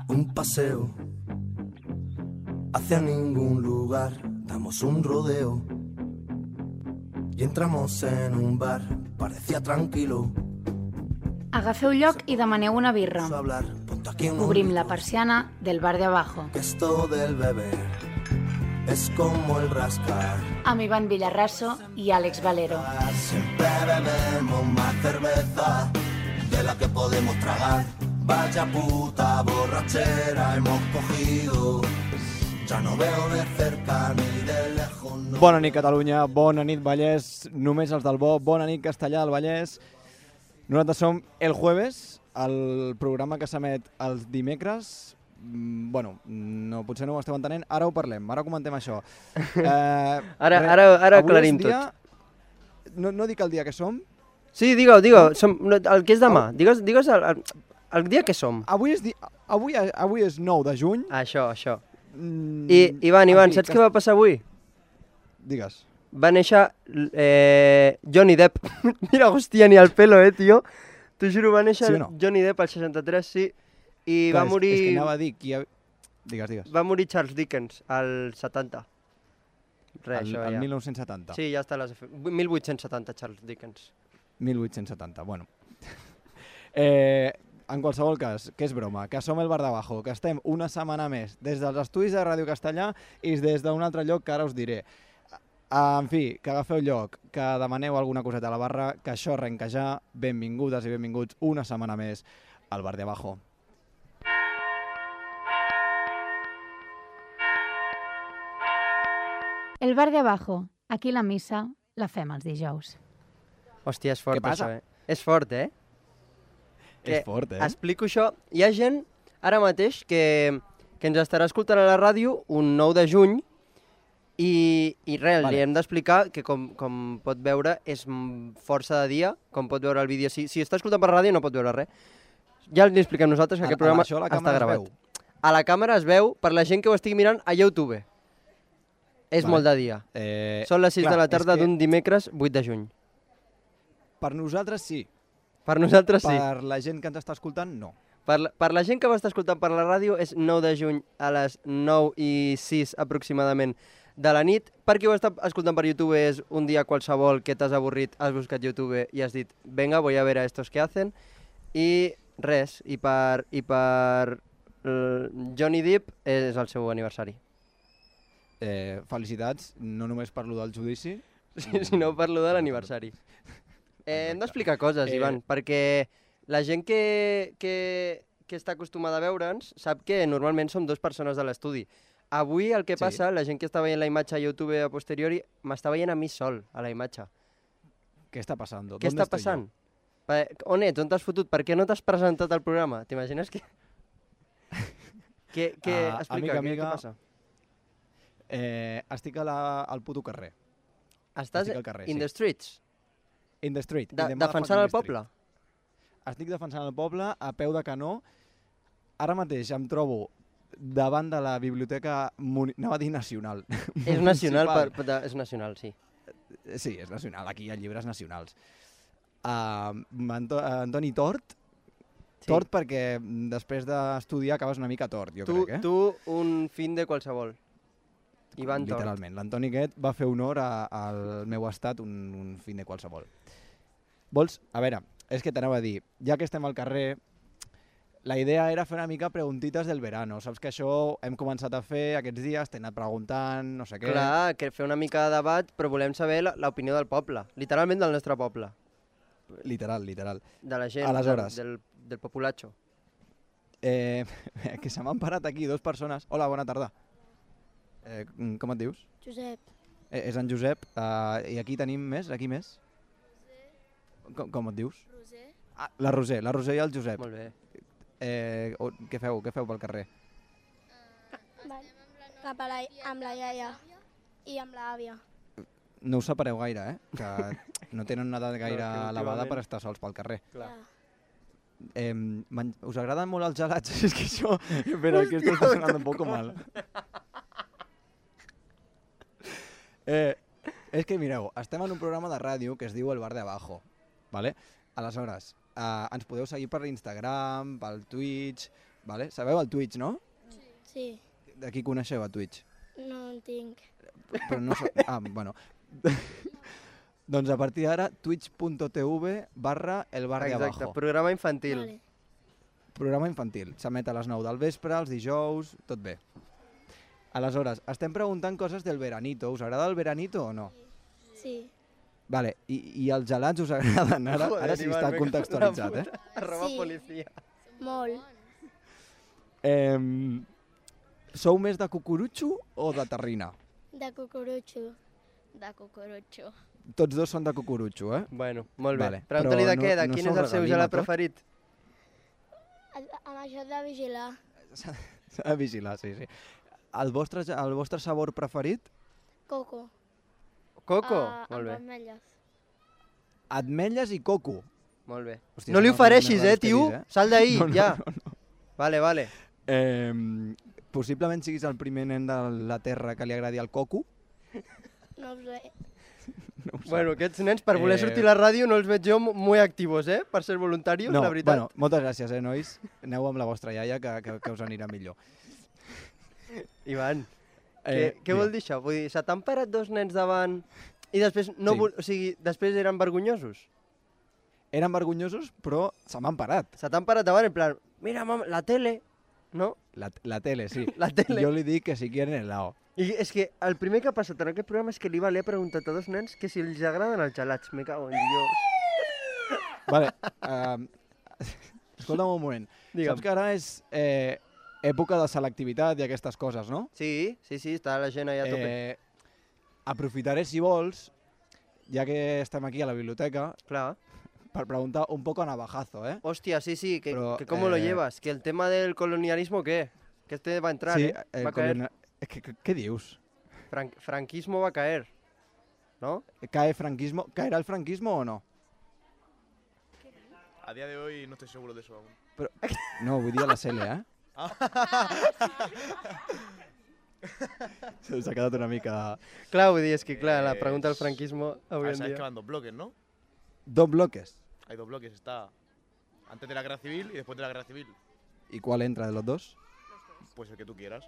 Un paseo hacia ningún lugar, damos un rodeo y entramos en un bar, parecía tranquilo. Agafeu lloc i demaneu una birra. Hablar, ponte aquí unos Obrim la gritos, persiana del bar de abajo. que esto del beber es como el rascar. Amb Ivan Villarraso i Àlex Valero. Siempre bebemos más cerveza de la que podemos tragar. Vaya puta borrachera hemos cogido. Ya no veo de cerca ni de lejos. No. Bona nit, Catalunya. Bona nit, Vallès. Només els del bo. Bona nit, Castellà del Vallès. Nosaltres som El Jueves, el programa que s'emet els dimecres. Bueno, no, potser no ho esteu entenent. Ara ho parlem, ara comentem això. Ara aclarim tot. No dic el dia que som. Sí, digue-ho. El que és demà. Digues el dia que som. Avui és 9 de juny. Això. I, Ivan, saps què va passar avui? Digues. Va néixer Johnny Depp. Mira, hòstia, ni el pelo, tio. T'ho juro, va néixer Johnny Depp al 63, sí. I va morir... És que anava a dir... Digues. Va morir Charles Dickens al 70. El 1970. Sí, ja està. 1870, Charles Dickens. 1870, bueno. En qualsevol cas, que és broma, que som el Bar d'Abajo, que estem una setmana més des dels estudis de Ràdio Castellà i des d'un altre lloc que ara us diré. En fi, que agafeu lloc, que demaneu alguna coseta a la barra, que això arrenca ja. Benvingudes i benvinguts una setmana més al Bar d'Abajo. El bar de abajo. Aquí la missa la fem els dijous. Hòstia, és fort això, És fort, És fort, Explico això. Hi ha gent, ara mateix, que ens estarà escoltant a la ràdio un 9 de juny i res, li hem d'explicar que com pot veure és força de dia, com pot veure el vídeo. Si està escoltant per ràdio no pot veure res. Ja li expliquem nosaltres que aquest programa està gravat. A la càmera es veu per la gent que ho estigui mirant a YouTube. És molt de dia. Són les 6 de la tarda d'un dimecres 8 de juny. Per nosaltres sí. Per nosaltres sí. Per la gent que ens està escoltant, no. Per la gent que va estar escoltant per la ràdio és 9 de juny a les 9:06 aproximadament de la nit. Per qui ho està escoltant per YouTube és un dia qualsevol que t'has avorrit, has buscat YouTube i has dit venga, voy a ver a estos que hacen. I res, i per Johnny Depp és el seu aniversari. Felicitats, no només parlo del judici, sinó parlo de l'aniversari. Hem d'explicar coses, Ivan, perquè la gent que està acostumada a veure'ns sap que normalment som dues persones de l'estudi. Avui el que passa, la gent que està veient la imatge a YouTube a posteriori, m'està veient a mi sol, a la imatge. Què està passant? Què està passant? On ets? On t'has fotut? Per què no t'has presentat al programa? T'imagines que... Explica, què passa? Estic al puto carrer. Estàs in the streets? In the street. Defensant el poble? Estic defensant el poble a peu de canó. Ara mateix em trobo davant de la biblioteca, anava a dir nacional. És nacional, és nacional, sí. Sí, és nacional, aquí hi ha llibres nacionals. Antoni Tort. Tort perquè després d'estudiar acabes una mica tort, jo crec. Tu, un fin de qualsevol. Ivan Tort. Literalment, l'Antoni aquest va fer honor al meu estat un fin de qualsevol. Vols? A veure, és que t'anava a dir, ja que estem al carrer, la idea era fer una mica preguntites del verano. Saps que això hem començat a fer aquests dies, t'he anat preguntant, no sé què... Clar, que fer una mica de debat, però volem saber l'opinió del poble, literalment del nostre poble. Literal. De la gent, del populacho. Que se m'han parat aquí dues persones. Hola, bona tarda. Com et dius? Josep. És en Josep. I aquí tenim més? Aquí més? Roser. Com et dius? Roser. La Roser i el Josep. Molt bé. Què feu pel carrer? Cap amb la iaia i amb l'àvia. No us separeu gaire, que no tenen una edat gaire elevada per estar sols pel carrer. Clar. Us agraden molt els gelats? És que això... Espera, que esto está sonando un poco mal. És que mireu, estem en un programa de ràdio que es diu El Bar de Abajo, ¿vale? Aleshores, ens podeu seguir per Instagram, pel Twitch, vale? Sabeu el Twitch, no? Sí, De qui coneixeu a Twitch? no en tinc. Però no so... bueno. Doncs a partir d'ara, twitch.tv/elbarriabajo. Exacte, programa infantil. Vale. Programa infantil. S'emet a les 9 del vespre, els dijous, tot bé. Aleshores, estem preguntant coses del veranito. Us agrada el veranito o no? Sí. Vale, i els gelats us agraden? Ara sí està contextualitzat, eh? Arroba Sí. policia. Molt. Sou més de cucurutxo o de terrina? De cucurutxo. De cucurutxo. Tots dos són de cucurutxo, eh? Bueno, molt bé. Vale, Pregunta-li però de què, de no quin sou és el seu regalina, gelat tot? preferit. Amb això de vigilar. S'ha de vigilar, sí. El vostre sabor preferit? Coco. Coco? Molt Amb bé, ametlles. Ametlles i coco. molt bé. Hòstia, No li són els ofereixis, més raros que he tio. vist, eh? Sal d'ahí, No, no, ja. no, Vale. Possiblement siguis el primer nen de la Terra que li agradi el coco. No ho sé. No ho sé. Bueno, aquests nens, per voler sortir a la ràdio, no els veig jo molt actius, per ser voluntarios, no, la veritat. Bueno, moltes gràcies, nois. Aneu amb la vostra iaia, que us anirà millor. Ivan, què vol dir això? Vull dir, se t'han parat dos nens davant i després no Sí. o sigui, després eren vergonyosos? Eren vergonyosos, però se m'han parat. Se t'han parat davant en plan, mira, mama, la tele, no? La tele, sí. La tele. Jo li dic que si quieren helado. I és que el primer que ha passat en aquest programa és que l'Iva li ha preguntat a dos nens que si els agraden els gelats. Me cago en Dios. Vale, escolta'm un moment. Digue'm. Saps que ara és època de selectivitat i aquestes coses, no? Sí, està la gent allà a tope. Aprofitaré, si vols, ja que estem aquí a la biblioteca, Clar. per preguntar un poco a navajazo, ¿eh? Hostia, sí, que, Pero, que cómo lo llevas. Que el tema del colonialismo, ¿qué? Que este va a entrar, Sí, Va a caer. ¿Qué dius? Franquismo va a caer, ¿no? ¿Caerá el franquismo o no? A día de hoy no estoy seguro de eso aún. Però, no, vull dir a la Cele, eh? S'ha quedat una mica... Clar, vull dir, és que clar, la pregunta del franquismo avui en Sabes que dia... van dos bloques, ¿no? Dos bloques. Hay dos bloques, está antes de la guerra civil y después de la guerra civil. ¿Y cuál entra de los dos? Pues el que tú quieras.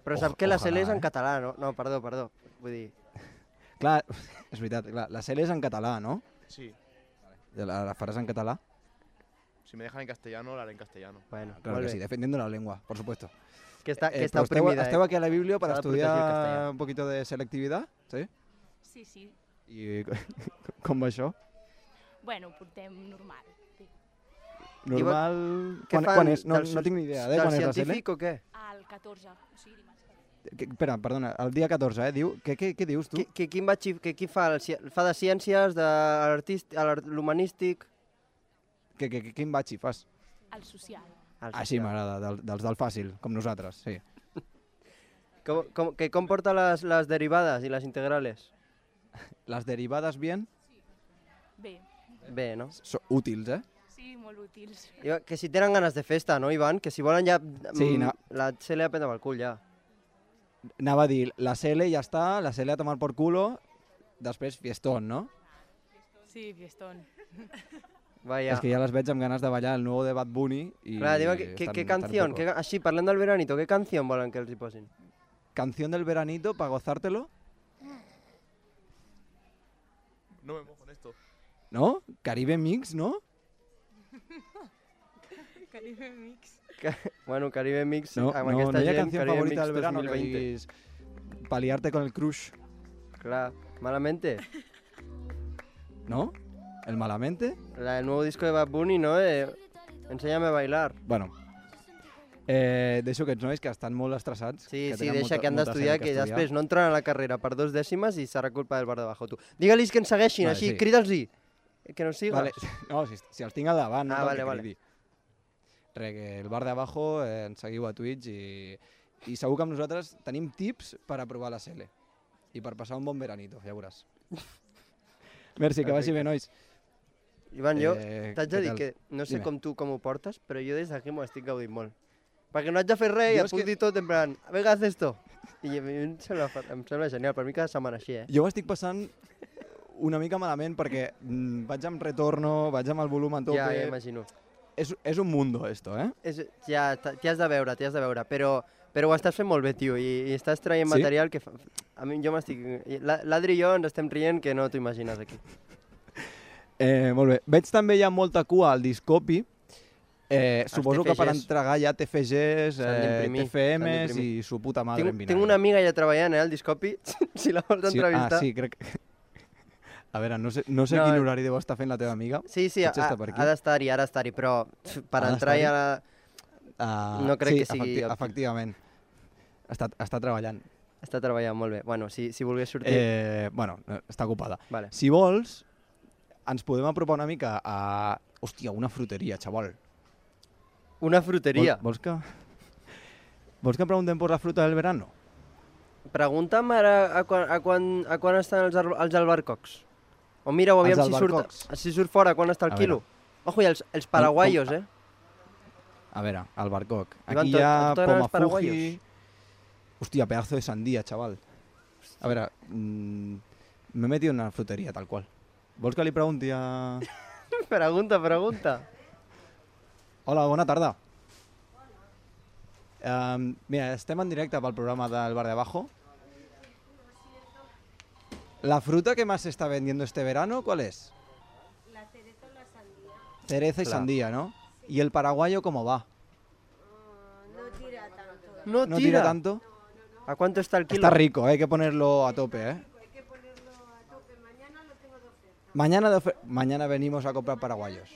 Però sap que la Ojalà, CL és en eh? català, no? No, perdó. Vull dir... Clar, és veritat, clar, la Cele és en català, no? Sí. La faràs en català? Si me dejan en castellano, la haré en castellano. Bueno, Claro molt que bé. sí, defendiendo la lengua, por supuesto. Que està Però oprimida, esteu aquí a la Biblia para S'ha de protegir el estudiar castellà. un poquito de selectividad, ¿sí? Sí, sí. I com va això? Bueno, portem normal. Sí. Normal... Què Quan és? No del tinc ni idea de del quan és la Cele. científic o què? Al 14, o sigui dimarts. Espera, perdona, el dia 14, diu... Què dius tu? Qui fa? Fa de ciències, de l'humanístic? Quin batxi fas? Al social. Sí, m'agrada, dels del fàcil, com nosaltres, sí. Com porta les derivades i les integrales? Les derivades bien, Bé, Bé, no? són útils, eh? sí, molt útils. Que si tenen ganes de festa, no, Ivan? Que si volen ja... Sí, no. La CL a prendre pel cul, ja. Anava a dir, la Cele ja està, la Cele a tomar por culo, després fiestón, no? Sí, fiestón. Vaya. És que ja les veig amb ganes de ballar el nou de Bad Bunny i... Clar, digue, què canció? estan Així, parlem del veranito, què canció volen que els hi posin? Canción del veranito para gozártelo, No me mojo en esto. ¿no? Caribe Mix, ¿no? Caribe Mix. Bueno, Caribe Mix, No, amb no, aquesta no hi ha gent, canción Caribe favorita Mix del verano que 2020. diguis paliarte con el crush, Clar, Malamente. ¿no? El malamente. El nuevo disco de Bad Bunny, ¿no? Enséñame a bailar. Bueno, deixo aquests nois que estan molt estressats. Sí, que sí, tenen deixa molta- que han molta d'estudiar, feina que estudiar. després no entraran a la carrera per 2 dècimes i serà culpa del bar de bajo, tu. Digue-lis que ens segueixin, Vale, així, sí. crida'ls-hi. Que nos sigas. Vale. No, si els tinc al davant, no Ah, cal vale, que vale. cridi. Re, que el bar de abajo ens seguiu a Twitch i segur que amb nosaltres tenim tips per aprovar la Cele i per passar un bon veranito, ja veuràs. Merci, que vagi bé, nois. Ivan, jo Eh, t'haig de què dir tal? que no sé Dime. com tu com ho portes, però jo des d'aquí m'ho estic gaudint molt. Perquè no haig de fer res i Jo et és puc que- dir tot en plan, venga, haz esto. I a mi em sembla genial, per mi cada setmana així, Jo ho estic passant una mica malament perquè vaig amb retorno, vaig amb el volum a tope. Ja imagino. És un mundo, esto, eh? Ja, t'hi has de veure, però ho estàs fent molt bé, tio, i estàs traient Sí? material que a mi jo m'estic... L'Adri i jo ens estem rient que no t'ho imagines aquí. Molt bé. Veig també hi ha molta cua al Discopi. Suposo que per TFGs. entregar ja TFGs, S'han d'imprimir, TFMs s'han i su puta madre en vinagre. Tinc una amiga ja treballant, al Discopi, si la vols entrevistar. Sí, crec que... A veure, no sé quin horari deu estar fent la teva amiga. Sí, Potser està per aquí. ha d'estar-hi, però per Ha entrar ja... No crec que sigui òptim. Efectivament. Està treballant. Està treballant molt bé. Bueno, si volgués sortir... Bueno, està ocupada. Vale. Si vols, ens podem apropar una mica a... Hòstia, una fruteria, xaval. Una fruteria. Vols que preguntem per la fruta del verano? Pregunta'm ara a quan estan els albercocs. O mira-ho, aviam si surt fora, quan està el quilo. Ojo, i els paraguaios, eh? A veure, albercoc. Ivan, Aquí hi ha a tu t'agraden els Pomafuji... paraguaios? Hòstia, pedazo de sandía, chaval. A veure, m'he metido en una fruteria, tal qual. Vols que li pregunti a... Pregunta. Hola, bona tarda. Mira, estem en directe pel programa del Bar de Abajo. ¿La fruta que más se está vendiendo este verano, cuál es? La cereza o la sandía. Cereza y sandía, ¿no? ¿Y el paraguayo cómo va? No tira tanto. No tira tanto? ¿A cuánto está el kilo? Está rico, hay que ponerlo a tope, ¿eh? Hay que ponerlo a tope. Mañana lo tengo de oferta. Mañana venimos a comprar paraguayos.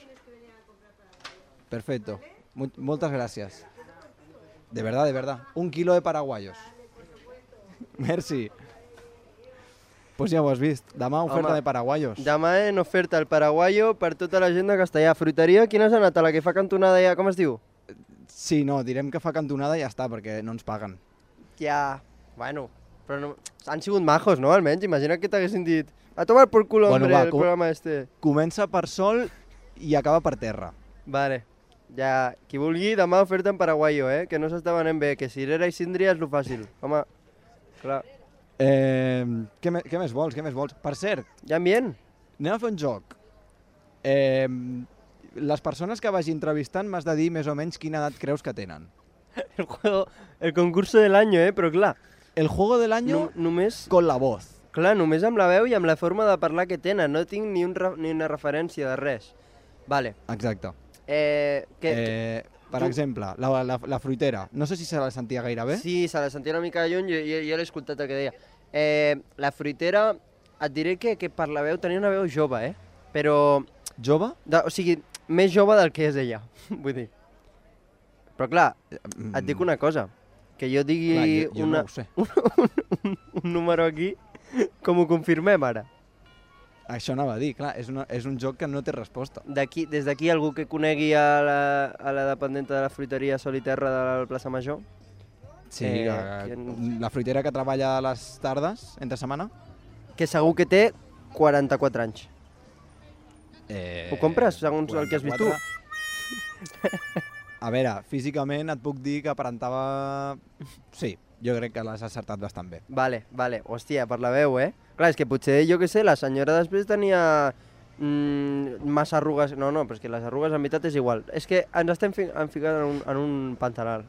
Perfecto. Muchas gracias. De verdad. 1 kilo de paraguayos. Merci. Pues ja ho has vist. Demà oferta de paraguayos. Demà en oferta el paraguayo per tota la gent de Castellà. Fruiteria, quina has anat? A la que fa cantonada ja, com es diu? Sí, no, direm que fa cantonada i ja està, perquè no ens paguen. Ja, bueno, però no... Han sigut majos, no? Almenys, imagina que t'haguessin dit a tomar por culo, hombre, el programa este. Comença per sol i acaba per terra. Vale, ja, qui vulgui, demà oferta en paraguayo, que no s'està venent bé, que cirera i síndria és lo fàcil. Home, clar. Què més vols? Per cert, ja ambient? Anem a fer un joc. Les persones que vagi entrevistant m'has de dir més o menys quina edat creus que tenen. El concurso del año, però clar. El juego del año només... con la voz. Clar, només amb la veu i amb la forma de parlar que tenen. No tinc ni una referència de res. Vale. Exacte. Per exemple, la fruitera. No sé si se la sentia gaire bé. Sí, se la sentia una mica de lluny, jo l'he escoltat el que deia. La fruitera, et diré que per la veu tenia una veu jove, però... Jove? O sigui, més jove del que és ella, vull dir. Però clar, et dic una cosa, que jo digui jo no ho sé. un número aquí, com ho confirmem ara? Això anava a dir, clar, és un joc que no té resposta. Des d'aquí algú que conegui a la dependenta de la fruiteria Sol i Terra de la plaça Major? Sí, la fruitera que treballa a les tardes, entre setmana. Que segur que té 44 anys. Ho compres, segons 44? El que has vist tu? A veure, físicament et puc dir que aparentava... Sí, jo crec que l'has acertat bastant bé. Vale. Hòstia, per la veu, Clar, és que potser, jo què sé, la senyora després tenia massa arrugues... No, però és que les arrugues en veritat és igual. És que ens estem ficant en un pantanal.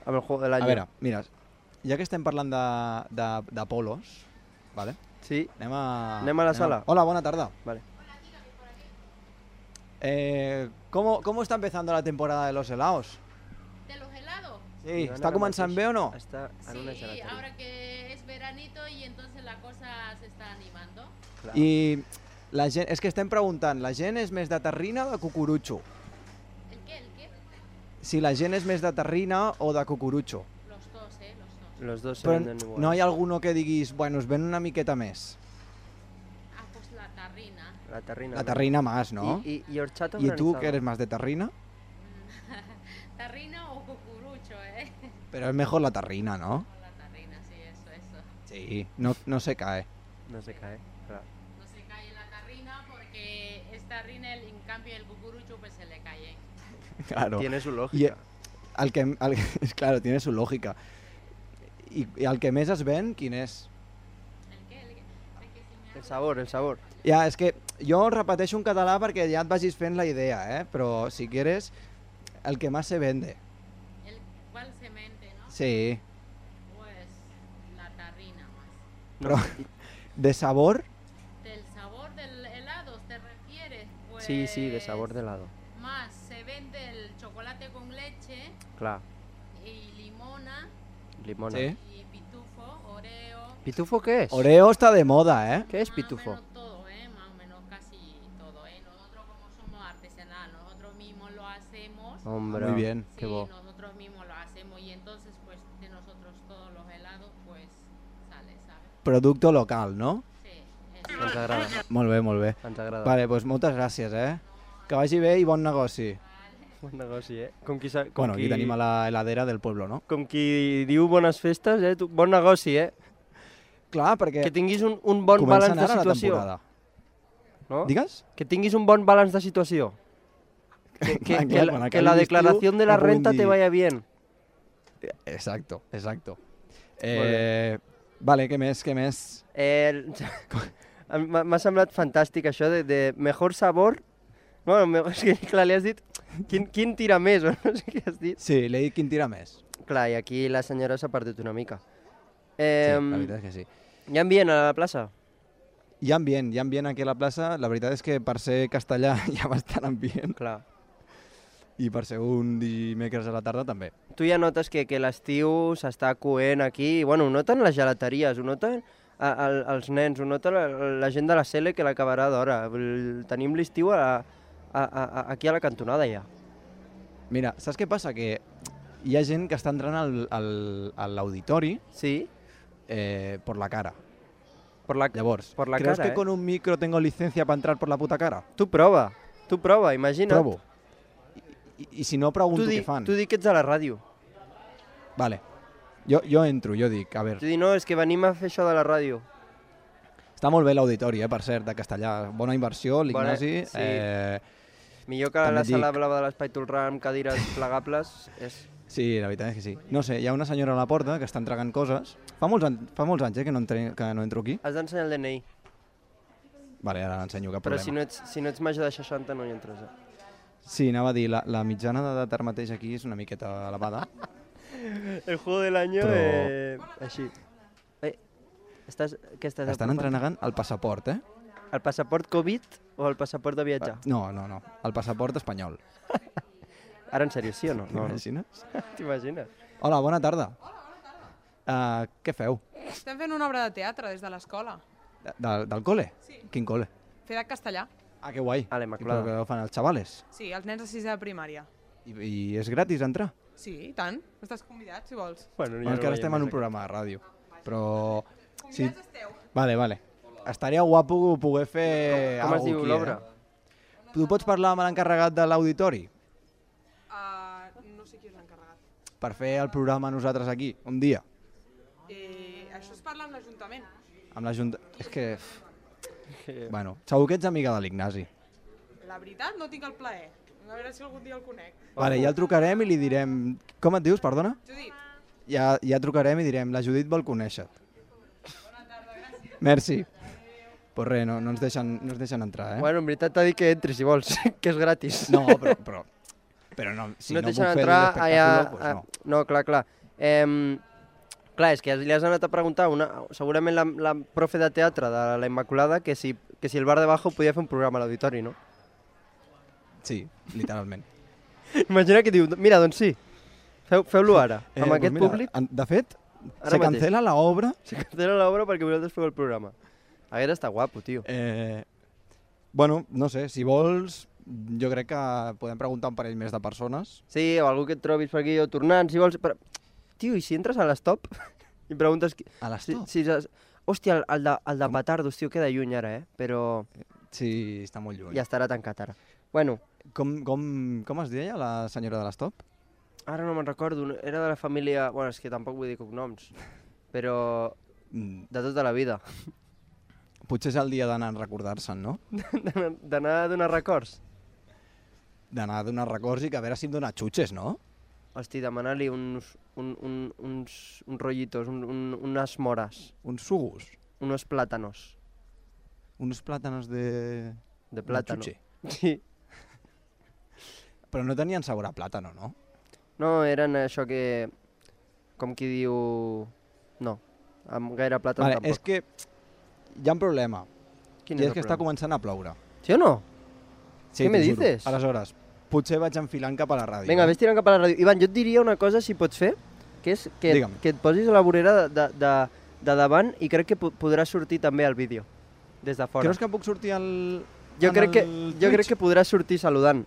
Amb el juego del año. A veure, mira, ja que estem parlant de polos, ¿vale? Sí. Anem a la sala. Hola, bona tarda. Vale. ¿Cómo está empezando la temporada de los helados? ¿De los helados? Sí, ¿está comenzando bé o no? Està en una Sí, ahora que es veranito y entonces la cosa se está animando. Clar. I la gent, és que estem preguntant, la gent és més de terrina o de cucurutxo? ¿El qué? Si la gent és més de terrina o de cucurutxo. Los dos. Los dos se Però venden igual. no hi ha alguno que diguis, bueno, es ven una miqueta més. Ah, pues la tarrina. La terrina más, ¿no? ¿Y horchata ¿Y tú, que eres más de terrina? Tarrina o cucurucho, Pero es mejor la terrina, ¿no? La tarrina, sí, eso. Sí, no se cae. No se cae, claro. No se cae la tarrina porque es tarrina, en cambio el cucurucho pues se le cae. Claro. Tiene su lògica. Claro, tiene su lógica. I el que més es ven, quin és? ¿El qué? El sabor, el sabor. Ja, és que jo repeteixo en català perquè ja et vagis fent la idea, però si quieres, el que más se vende. ¿Cuál se vende, no? Sí. Pues la tarrina más. Però de sabor, ¿Del sabor del helado te refieres? Pues Sí, sí, de sabor de helado. Más se vende el chocolate con leche Clar, y limona limona. sí. y pitufo, oreo. ¿Pitufo qué es? Oreo está de moda, ¿eh? ¿Qué es Más pitufo? o menos todo, más o menos casi todo, Nosotros como somos artesanal, nosotros mismos lo hacemos. Hombre, Muy bien. qué Sí, bo. nosotros mismos lo hacemos y entonces pues de nosotros todos los helados pues sale, ¿sabes? Producto local, no? Sí, Ens agrada, Molt bé, molt bé. ens agrada. Vale, doncs moltes gràcies, Que vagi bé i bon negoci. Bon negoci, Com qui, Bueno, aquí tenim a la heladera del pueblo, no? com qui diu bones festes, Tu, bon negoci, Clar, perquè Que tinguis un bon comença balanç de ara la situació. temporada. No? Digues? Que tinguis un bon balanç de situació. Clar, quan Que acabi la l'estiu declaración de la no puguin renta te dir- vaya bien. Exacto, exacto. bé. Vale, què més? M'ha semblat fantàstic això de mejor sabor. No, és que clar, li has dit quin tira més, o no sé què has dit. Sí, l'he dit quin tira més. Clar, i aquí la senyora s'ha perdut una mica. Sí, la veritat és que sí. Hi ha ambient a la plaça? Hi ha ambient aquí a la plaça. La veritat és que per ser castellà hi ha bastant ambient. Clar. I per ser un dimecres a la tarda també. Tu ja notes que l'estiu s'està coent aquí, i bueno, ho noten les gelateries, ho noten els nens, ho nota la gent de la Sele que l'acabarà d'hora. Tenim l'estiu aquí a la cantonada ja. Mira, saps què passa? Que hi ha gent que està entrant a l'auditori Sí? por la cara. Llavors, por la ¿crees cara, que con un micro tengo licencia para entrar por la puta cara? Tu prova, imagina't. Provo. I si no, pregunto Tu què fan. di que ets a la ràdio. Vale. Jo entro, jo dic, a veure, Tu di, no, és que venim a fer això de la ràdio. està molt bé l'auditori, per cert, de Castellà. Bona inversió, l'Ignasi. Sí. Millor que també la et sala dic- blava de l'Espai Tolrà amb cadires plegables. Sí, la veritat és que sí. No sé, hi ha una senyora a la porta que està entregant coses. Fa molts anys que no entro aquí. Has d'ensenyar el DNI. Vale, ara l'ensenyo, cap Però problema. si no ets major de 60 no hi entres. Sí, anava a dir, la mitjana d'edat ara mateix aquí és una miqueta elevada. El juego del año, així. Què estàs Estan entrenegant el passaport, El passaport Covid o el passaport de viatjar? No, el passaport espanyol. Ara en sèrio, sí o no? T'imagines? T'imagines? Hola, bona tarda. Què feu? Estem fent una obra de teatre des de l'escola. Del col·le? Sí. Quin col·le? Fer de castellà. Ah, que guai. A l'Immaculada. Però què fan els xavales? Sí, els nens de 6è de primària. I és gratis entrar? Sí, i tant. Estàs convidat, si vols. Bueno, Bueno, és que ara estem en un programa de ràdio. Però... Convidats esteu. Vale. Estaria guapo poder fer Com es alguna diu aquí, l'obra? Tu pots parlar amb l'encarregat de l'auditori No sé qui és l'encarregat. per fer el programa nosaltres aquí, un dia? Això es parla amb l'Ajuntament. Amb la Junta... És que... Bueno, segur que ets amiga de l'Ignasi. La veritat, no tinc el plaer. A veure si algun dia el conec. Vale, ja el trucarem i li direm... Com et dius, perdona? Judit. Ja trucarem i direm, la Judit vol conèixer-te. Bona tarda, gràcies. Merci. Pues res, no ens deixen entrar, Bueno, en veritat t'ha dit que entri, si vols, que és gratis. No, però no, si no et puc deixen fer entrar l'espectacle, pues no. No, clar. Clar, és que li has anat a preguntar segurament la profe de teatre de la Immaculada que si el bar de Bajo podia fer un programa a l'auditori, no? Sí, literalment. Imagina que diu, mira, doncs sí, feu-lo ara, amb Pues aquest mira, públic. De fet, Ara se mateix. cancela l'obra. Se cancela l'obra perquè vosaltres feu el programa. Haguera estat guapo, tio. Bueno, no sé, si vols, jo crec que podem preguntar un parell més de persones. Sí, o algú que et trobis per aquí, o tornant, si vols... Però... Tio, i si entres a l'estop i preguntes... A l'estop? Hòstia, el de Petardos, tio, queda lluny ara, però... Sí, està molt lluny. Ja estarà tancat ara. Bueno. Com es deia la senyora de l'estop? Ara no me'n recordo, era de la família... Bueno, és que tampoc vull dir cognoms, però de tota la vida. Potser és el dia d'anar a recordar-se'n, no? D'anar a donar records. D'anar a donar records i que a veure si em dona xutxes, no? Hosti, demanar-li uns rollitos, unes mores. Uns sugus. Unos plátanos. Unos plátanos de... De plàtano. chuche. Sí. Però no tenien sabor a plàtano, no? No, eren això que... Com qui diu... No, amb gaire plàtan Vale, tampoc. és que hi ha un problema. Quin I és és el que està problema? començant a ploure. Sí o no? Sí, Què me t'ho juro. dices? Aleshores, potser vaig enfilant cap a la ràdio. Vinga, vés tirant cap a la ràdio. Ivan, jo et diria una cosa, si pots fer, que és que et posis a la vorera de davant i crec que podrà sortir també el vídeo, des de fora. Creus que puc sortir al... Jo crec que podràs sortir saludant.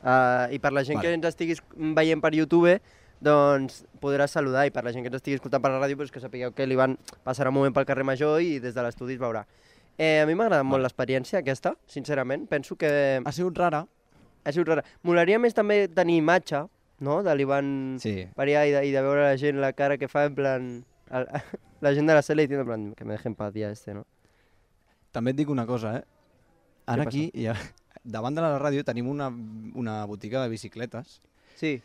I per la gent Vale. que ens estiguis veient per YouTube, doncs podràs saludar, i per la gent que ens estigui escoltant per la ràdio, doncs que sapigueu que l'Ivan passarà un moment pel carrer Major i des de l'estudi es veurà. A mi m'ha agradat molt l'experiència aquesta, sincerament. Penso que... Ha sigut rara. Ha sigut rara. Molaria més també tenir imatge, no?, de l'Ivan Parià i de veure la gent, la cara que fa, en plan... La gent de la sala i en plan, que me dejen paz ja no? També et dic una cosa, Ara aquí, davant de la ràdio, tenim una botiga de bicicletes. Sí.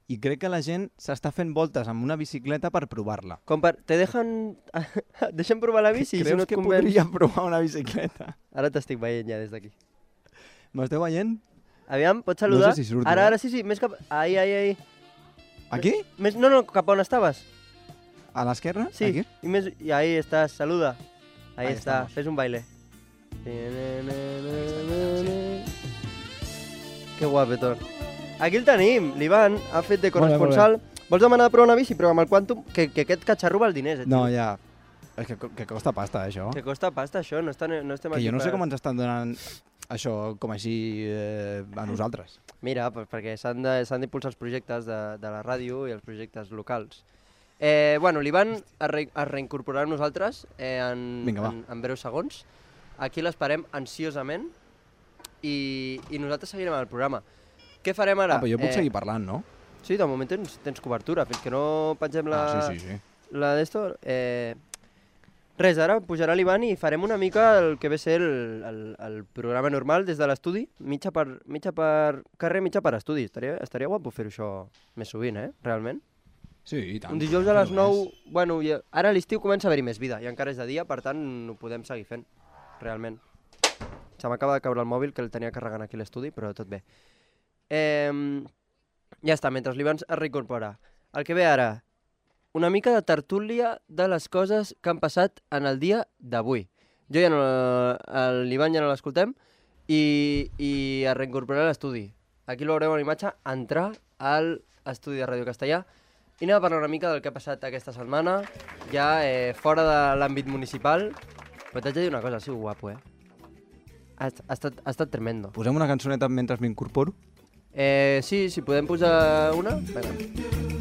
I crec que la gent s'està fent voltes amb una bicicleta per provar-la. Com per... Te deixen provar la bici? Creus si no que podria provar una bicicleta? Ara t'estic veient ja des d'aquí. M'esteu veient? Aviam, pots saludar? No sé si surto. Ara sí, més cap... Ai. Aquí? No, cap on estaves. A l'esquerra? Sí, aquí? i ahí estàs, saluda. Ahí està, estamos. fes un baile. Que guapetón. Aquí el tenim, l'Ivan ha fet de corresponsal. Vols demanar de provar una bici? Però amb el Quantum, que aquest catxarro val diners. No, ja. És que costa pasta, això. Que costa pasta, això. No estem que aquí jo no sé com ens estan donant això com així a nosaltres. Mira, perquè s'han d'impulsar els projectes de la ràdio i els projectes locals. Bueno, l'Ivan es reincorporarà amb nosaltres en breus segons. Aquí l'esperem ansiosament i nosaltres seguirem el programa. Què farem ara? Però jo puc seguir parlant, no? Sí, de moment tens cobertura, fins que no pengem la... Sí. La d'esto... Res, ara pujarà l'Ivan i farem una mica el que ve ser el programa normal des de l'estudi, mitja per carrer, mitja per estudi. Estaria guapo fer això més sovint, realment? Sí, i tant. Un dijous a les 9... Bueno, ara a l'estiu comença a haver-hi més vida, i encara és de dia, per tant, ho podem seguir fent, realment. Se m'acaba de caure el mòbil, que el tenia carregant aquí a l'estudi, però tot bé. Ja està, mentre l'Ivan es reincorpora. El que ve ara, una mica de tertúlia de les coses que han passat en el dia d'avui. Jo ja no... L'Ivan ja no l'escoltem i es reincorporarà a l'estudi. Aquí l'haurem a la imatge, entrar al estudi de Ràdio Castellà i anem a parlar una mica del que ha passat aquesta setmana, ja fora de l'àmbit municipal. Però t'haig de dir una cosa, ha sigut guapo, Ha estat tremendo. Posem una cançoneta mentre m'incorporo? Sí, si podem posar una. Vinga.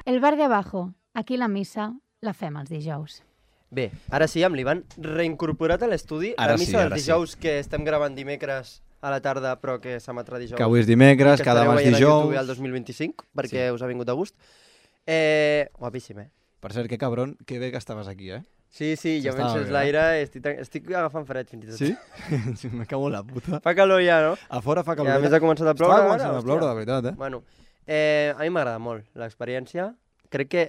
El bar de abajo. Aquí la missa la fem els dijous. Bé, ara sí, amb l'Ivan reincorporat a l'estudi. La missa dels dijous que estem gravant dimecres a la tarda, però que s'emetrà dijous. Que avui és dimecres, que demà és dijous. Que estareu veient a YouTube el 2025, perquè us ha vingut de gust. Guapíssim, Per cert, que cabron, que bé que estaves aquí, Sí, jo m'encens l'aire, estic agafant fred fins i tot. Sí? Me cago en la puta. Fa calor ja, no? A fora fa calor. I a més ha començat a ploure. Estava començant a ploure, de veritat, Bueno, a mi m'agrada molt l'experiència. Crec que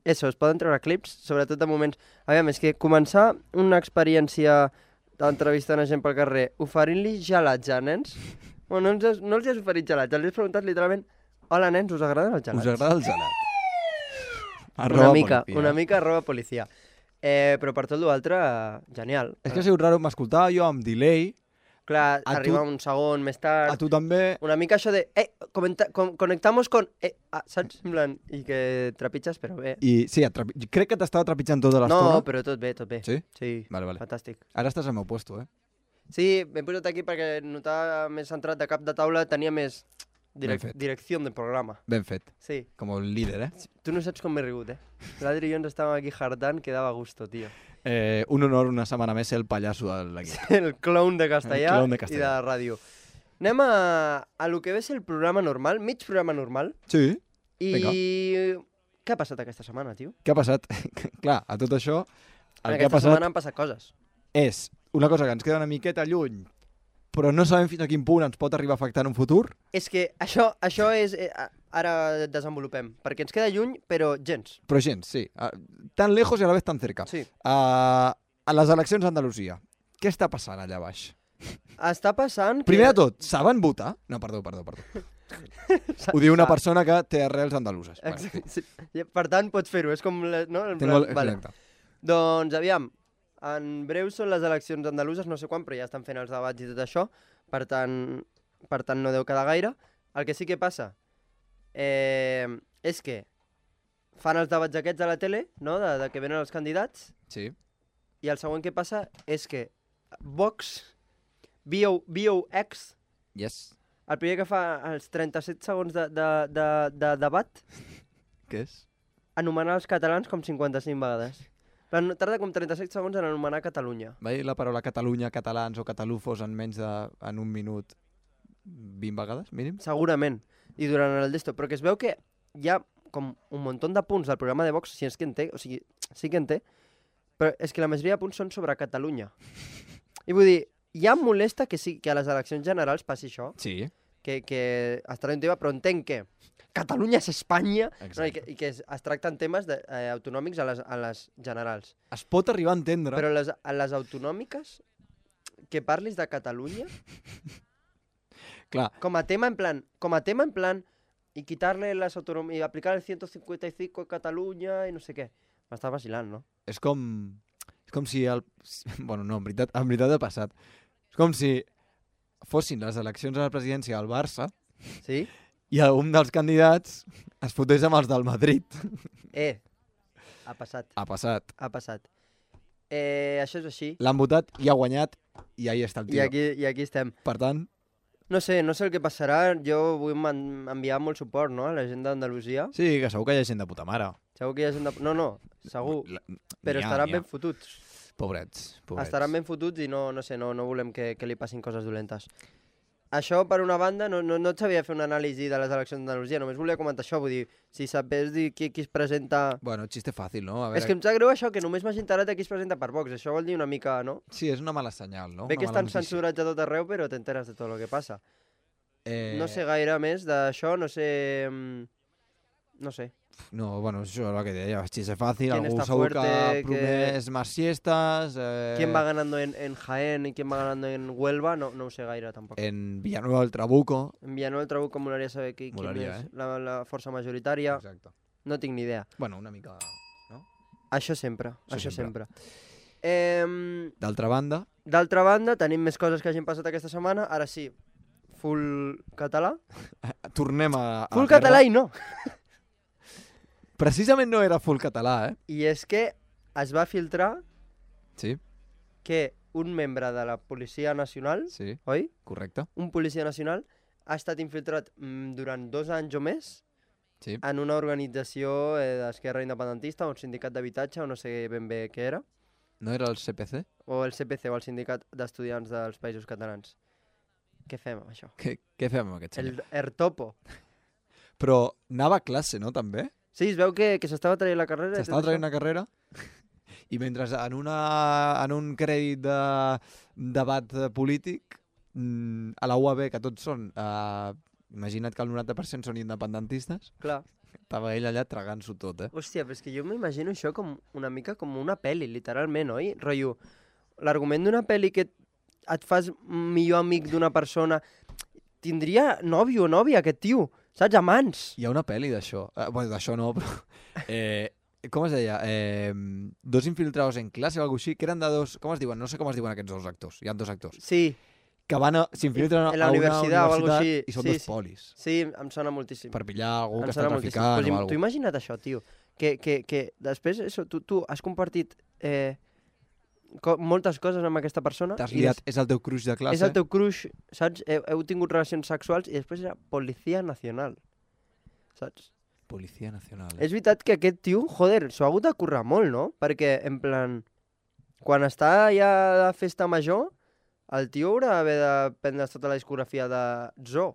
es poden treure clips, sobretot de moments... Aviam, és que començar una experiència entrevistant a gent pel carrer, oferint-li gelats a nens. Bueno, no els has oferit gelats, els has preguntat literalment: hola nens, us agraden els gelats? Us agrada el gelat? Una mica arroba policia. Però per tot l'altre, genial. És que ha sigut raro, m'escoltava jo amb delay. Clar, arriba un segon més tard. A tu també. Una mica això de, conectamos con... saps? I que trepitges, però bé. I sí, crec que t'estava trepitjant tota l'estona. No, però tot bé, tot bé. Sí? Sí, vale. fantàstic. Ara estàs al meu puesto, Sí, m'he posat aquí perquè notava més centrat de cap de taula, tenia més direcció de programa. Ben fet. Sí. Com el líder, Tu no saps com m'he rigut, L'Adri i jo ens estàvem aquí jardant, que dava gusto, tio. Un honor una setmana més ser el pallasso de l'equip. El clown de castellà i de la ràdio. Anem a lo que ve ser el programa normal, mig programa normal. Sí, vinga. Què ha passat aquesta setmana, tio? Què ha passat? Clar, a tot això... Aquesta setmana han passat coses. És una cosa que ens queda una miqueta lluny, però no sabem fins a quin punt ens pot arribar a afectar en un futur. És que això és... Ara desenvolupem, perquè ens queda lluny, però gens. Però gens, sí. Tan lejos i a la vez tan cerca. Sí. A les eleccions a Andalusia, què està passant allà baix? Està passant que... Primer de tot, saben votar? No, perdó. Ho diu una persona que té arrels andaluses. Bueno, sí. Per tant, pots fer-ho, és com... No? Vale. Doncs, aviam, en breu són les eleccions andaluses, no sé quan, però ja estan fent els debats i tot això, per tant no deu quedar gaire. El que sí que passa és que fan els debats aquests a la tele, no? de que venen els candidats, sí. I el següent que passa és que Vox, VOX, yes. El primer que fa els 37 segons de debat, què és? Anomenar els catalans com 55 vegades. Tarda com 37 segons en anomenar Catalunya. Va dir la paraula Catalunya, catalans o catalufos en menys en un minut 20 vegades, mínim? Segurament. I durant el d'esto, però que es veu que hi ha com un munt de punts del programa de Vox, si és que en té, o sigui, sí que en té, però és que la majoria de punts són sobre Catalunya. I vull dir, ja em molesta que a les eleccions generals passi això. Sí. Que estarà un tema, però entenc que Catalunya és Espanya, no, i que es tracten temes autonòmics a les generals. Es pot arribar a entendre. Però a les autonòmiques, que parlis de Catalunya... Clar. Com a tema en plan y quitarle las autonomías y aplicar el 155 a Catalunya i no sé què. M'està vacilant, no? És com si bueno, no, en veritat ha passat. És com si fossin les eleccions a la presidència del Barça, sí? I un dels candidats es fotés amb els del Madrid. Ha passat. Ha passat. Això és així. L'han votat i ha guanyat i ahí està el tio. I aquí estem. Per tant... No sé el que passarà. Jo vull enviar molt suport, no?, a la gent d'Andalusia. Sí, que segur que hi ha gent de puta mare. Segur que hi ha gent de... No, segur. Però estaran ben fotuts. Pobrets. Estaran ben fotuts i no volem que li passin coses dolentes. Això, per una banda, no et sabia fer una anàlisi de les eleccions d'Andalusia, només volia comentar això, vull dir, si sapés dir qui es presenta... Bueno, xiste fàcil, no? És que em sap greu això, que només m'hagi enterat de qui es presenta per Vox, això vol dir una mica, no? Sí, és una mala senyal, no? Bé que estan censurats a tot arreu, però t'enteres de tot el que passa. No sé gaire més d'això, no sé... No, bueno, això és el que deia, xiste fàcil, algú segur que ha promès más siestas... ¿Quién va ganando en Jaén y quién va ganando en Huelva? No ho sé gaire, tampoc. En Villanueva del Trabuco. En Villanueva del Trabuco molaria saber quin és la força majoritària. Exacte. No tinc ni idea. Bueno, una mica... No? Això sempre. D'altra banda, tenim més coses que hagin passat aquesta setmana. Ara sí, full català. Tornem a... Full català i no. Precisament no era full català, I és que es va filtrar que un membre de la Policia Nacional, oi? Correcte. Un policia nacional ha estat infiltrat durant 2 anys o més en una organització d'esquerra independentista, un sindicat d'habitatge, o no sé ben bé què era. No era el CPC? O el CPC, o el Sindicat d'Estudiants dels Països Catalans. Què fem amb això? Què fem amb aquest senyor? El Ertopo. Però anava a classe, no, també? Sí, es veu que s'estava traient la carrera. S'estava traient la carrera i mentre en un crèdit de debat polític a la UAB, que tots són, imagina't que el 90% són independentistes, clar, estava ell allà tragant-s'ho tot, Hòstia, però és que jo m'imagino això com una mica com una pel·li, literalment, oi? Rotllo, l'argument d'una pel·li que et fas millor amic d'una persona, tindria nòvio o nòvia aquest tio, saps? Amants. Hi ha una pel·li d'això. Bueno, d'això no, però... com es deia? Dos infiltrados en classe o alguna així, que eren de dos... Com es diuen? No sé com es diuen aquests dos actors. Hi ha dos actors. Sí. Que s'infiltren a una universitat o alguna així. I són dos polis. Sí, em sona moltíssim. Per pillar algú que està traficant o alguna cosa. Tu imagina't això, tio. Que després tu has compartit moltes coses amb aquesta persona. T'has liat, és el teu crush de classe. És el teu crush, saps? Heu tingut relacions sexuals i després era Policía Nacional, saps? Policía Nacional. És veritat que aquest tio, joder, s'ho ha hagut de currar molt, no? Perquè, en plan, quan està ja de festa major, el tio haurà d'haver de prendre tota la discografia de Zo.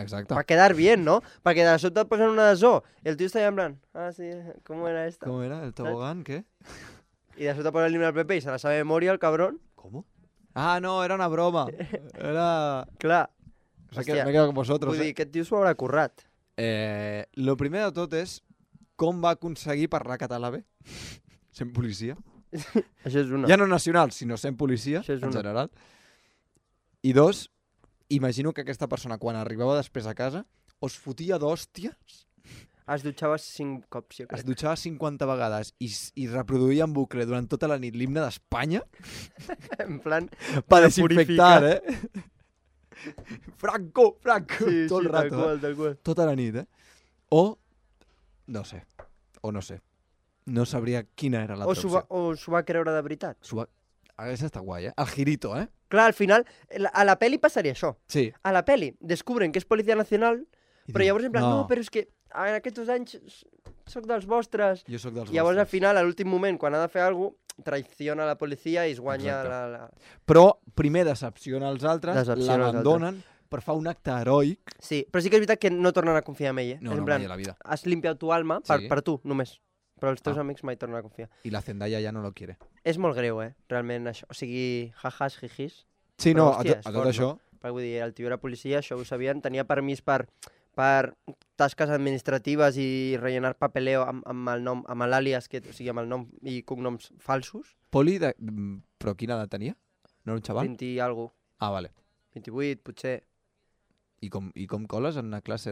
Exacte. Per quedar bien, no? Perquè de sobte et posen una de Zo i el tio està allà en plan, sí, ¿cómo era esta? ¿Cómo era? ¿El tobogán? ¿Qué? I de sobte posa el himne del PP i se la sabe de memoria, el cabrón. ¿Cómo? Ah, no, era una broma. Era... Clar. O sea, que me he quedado con vosotros. Vull dir, aquest tio s'ho haurà currat. Lo primer de tot és com va aconseguir parlar català bé, sent policia. Això és una. Ja no nacional, sinó sent policia, en general. I dos, imagino que aquesta persona, quan arribava després a casa, us fotia d'hòsties. Es dutxava 5 cops, jo crec. Es dutxava 50 vegades i reproduïa en bucle durant tota la nit l'himne d'Espanya. En plan... Per desinfectar, Franco! Sí, tot el rato. Tal qual. Tota la nit, O, no sé. No sabria quina era la opció. O s'ho va creure de veritat. Hauria estat guai, El girito, Clar, al final, a la peli passaria això. Sí. A la peli descobren que és Policía Nacional, però llavors en plan, no, però és que en aquests 2 anys soc dels vostres. Jo soc dels vostres. Llavors al final, a l'últim moment, quan ha de fer alguna cosa, traiciona la policia i es guanya la... Però primer decepciona els altres, l'abandonen per fer un acte heroic. Sí, però sí que és veritat que no tornen a confiar en ell, No, en mai plan, a la vida. has limpiat tu alma per tu, només. Però els teus amics mai tornen a confiar. I la Zendaya ja no lo quiere. És molt greu, realment, això. O sigui, jajas, jijis. Sí, però, no, hòstia, a tot això... Perquè vull dir, el tio era policia, això ho sabien, tenia permís per tasques administratives i rellenar papeleo amb el nom, amb l'àlies, o sigui, amb el nom i cognoms falsos. Poli, però quina edat tenia? No era un xaval? 20 i alguna cosa. Ah, vale. 28, potser. I com coles en una classe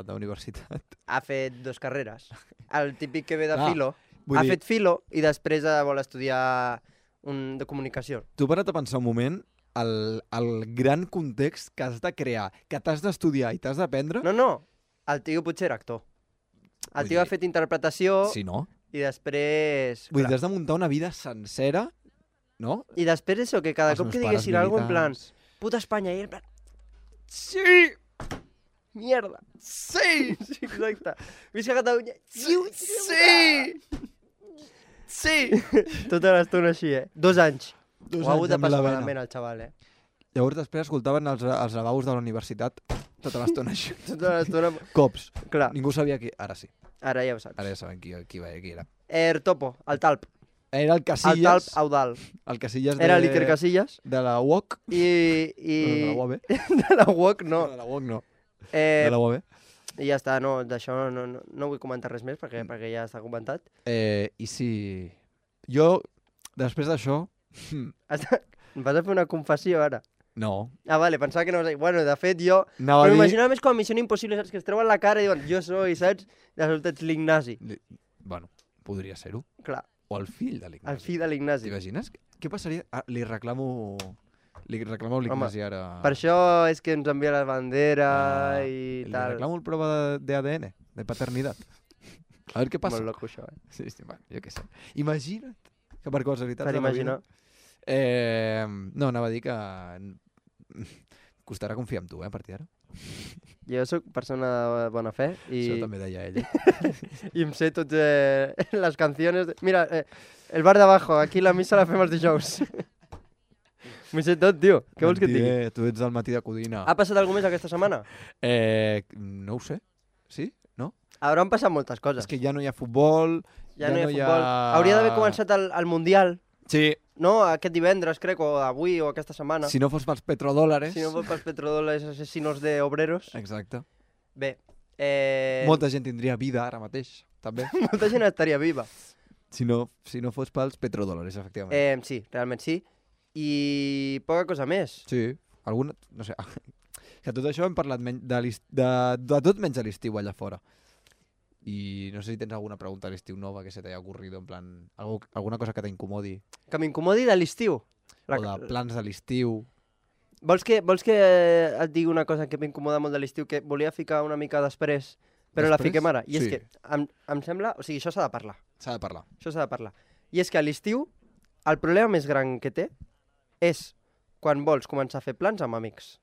d'universitat? Ha fet 2 carreres. El típic que ve de filo. Ha fet filo i després vol estudiar de comunicació. Tu para't a pensar un moment el gran context que has de crear, que t'has d'estudiar i t'has d'aprendre... No. El tio potser era actor. El tio ha fet interpretació... Sí, no? I després... Vull dir, t'has de muntar una vida sencera, no? I després això, que cada cop que diguessin alguna cosa en plan... Puta Espanya, i en plan... Sí! Mierda! Sí! Sí, exacte. Visca Catalunya! Sí! Sí! Tota l'estona així, 2 anys. Ho ha hagut de amb la passar vena. malament el xaval, Llavors després escoltaven els lavabos de la universitat tota l'estona així. Tota l'estona... Cops. Clar. Ningú sabia qui... Ara sí. Ara ja ho saps. Ara ja saben qui era. Topo, el Talp. Era el Casillas. El Talp Audal. El Casillas Era l'Iker Casillas. De la UOC. De la UAB. De la UOC, no. De la UOC no. De la UAB. I ja està, no, d'això no vull comentar res més perquè ja està comentat. I si... Jo, després d'això... Em vas a fer una confessió ara? No. Ah, vale, pensava que no... Bueno, de fet, jo... Però m'imaginava més com a Missió Impossible, saps? Que es treuen la cara i diuen, jo soy, saps? De sobte ets l'Ignasi. Bueno, podria ser-ho. Clar. O el fill de l'Ignasi. El fill de l'Ignasi. T'imagines? Què passaria? Li reclamo l'Ignasi ara... Per això és que ens envia la bandera i tal. Li reclamo el prova d'ADN, de paternitat. A veure què passa. Molt loco, això, Sí, bueno, jo què sé. Imagina't que per casualitats de la vida... No, anava a dir que costarà confiar en tu, a partir d'ara. Jo sóc persona de bona fe i... Això també deia ella. I em sé totes les canciones... Mira, el bar de abajo, aquí la missa la fem els dijous. M'ho sé tot, tio. Què vols que et digui? Tu ets del matí de Codina. Ha passat alguna més aquesta setmana? No ho sé. Sí? No? Hauran passat moltes coses. És que ja no hi ha futbol... Ja no hi ha futbol. Hauria d'haver començat el Mundial. Sí. No, aquest divendres, crec, o avui, o aquesta setmana. Si no fos pels petrodòlares. Si no fos pels petrodòlares asesinos de obreros. Exacte. Bé. Molta gent tindria vida ara mateix, també. Molta gent estaria viva. Si no fos pels petrodòlares, efectivament. Sí, realment sí. i poca cosa més. Sí, alguna... No sé, que tot això hem parlat de tot menys a l'estiu allà fora. I no sé si tens alguna pregunta a l'estiu nova que se t'haya ocurrido, en plan, alguna cosa que t'incomodi. Que m'incomodi de l'estiu. O de plans de l'estiu. Vols que et digui una cosa que m'incomoda molt de l'estiu, que volia ficar una mica després, però la fiquem ara? I és que em sembla... O sigui, això s'ha de parlar. S'ha de parlar. Això s'ha de parlar. I és que a l'estiu, el problema més gran que té és quan vols començar a fer plans amb amics.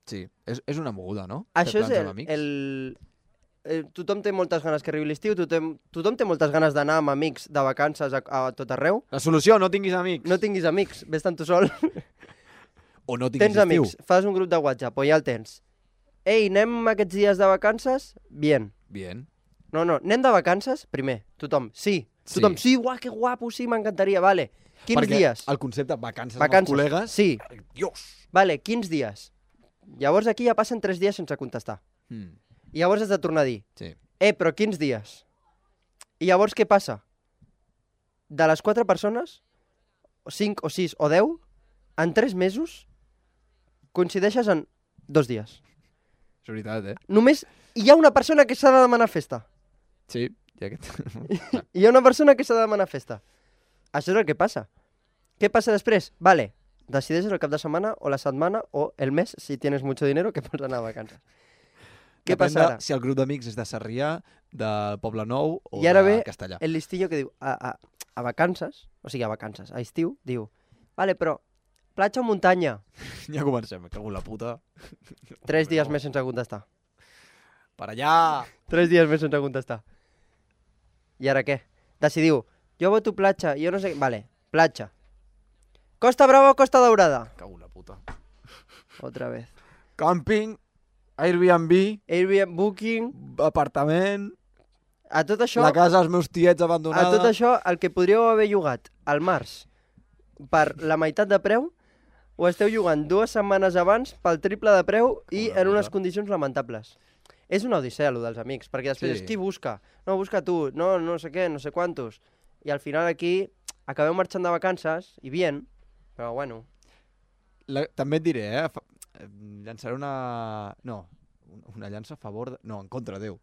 Sí, és una moguda, no? Això és tothom té moltes ganes que arribi l'estiu, tothom té moltes ganes d'anar amb amics de vacances a tot arreu. La solució, no tinguis amics. No tinguis amics, vés-te'n tu sol. O no tinguis tens estiu. Amics, fas un grup de WhatsApp o ja el tens. Ei, anem aquests dies de vacances? Bien. No, anem de vacances? Primer, tothom, sí. Tothom, sí, uah, que guapo, sí, m'encantaria, vale. Quins dies? El concepte vacances amb els col·legues... Sí. Dios! Vale, quins dies? Llavors aquí ja passen 3 dies sense contestar. I llavors has de tornar a dir, però quins dies? I llavors què passa? De les 4 persones, 5 o 6 o 10, en 3 mesos, coincideixes en 2 dies. És veritat, Només hi ha una persona que s'ha de demanar festa. Sí, i aquest... Hi ha una persona que s'ha de demanar festa. Això és el que passa. Què passa després? Vale, decideixes el cap de setmana o la setmana o el mes, si tienes mucho dinero, que pots anar a vacances. Què passa ara? Si el grup d'amics és de Sarrià, del Poble Nou o i ara de ve Castellà. El listillo que diu, a vacances, o sigui, a vacances, a estiu, diu, vale, però platja o muntanya? Ja comencem, me cago en la puta. 3 dies més sense contestar. Per allà! 3 dies més sense contestar. I ara què? Decidiu, jo voto platja, jo no sé... Vale, platja. Costa Brava o Costa Daurada? Cago en la puta. Otra vez. Camping, Airbnb, Booking, apartament... A tot això... La casa dels meus tiets abandonada... A tot això, el que podríeu haver llogat al març per la meitat de preu, ho esteu llogant 2 setmanes abans pel triple de preu i en unes condicions lamentables. És una odissea, allò dels amics, perquè després qui busca? No, busca tu, no sé què, no sé quantos. I al final aquí acabeu marxant de vacances, i bien, però bueno... També et diré, llançaré una... No, una llança a favor... No, en contra, Déu.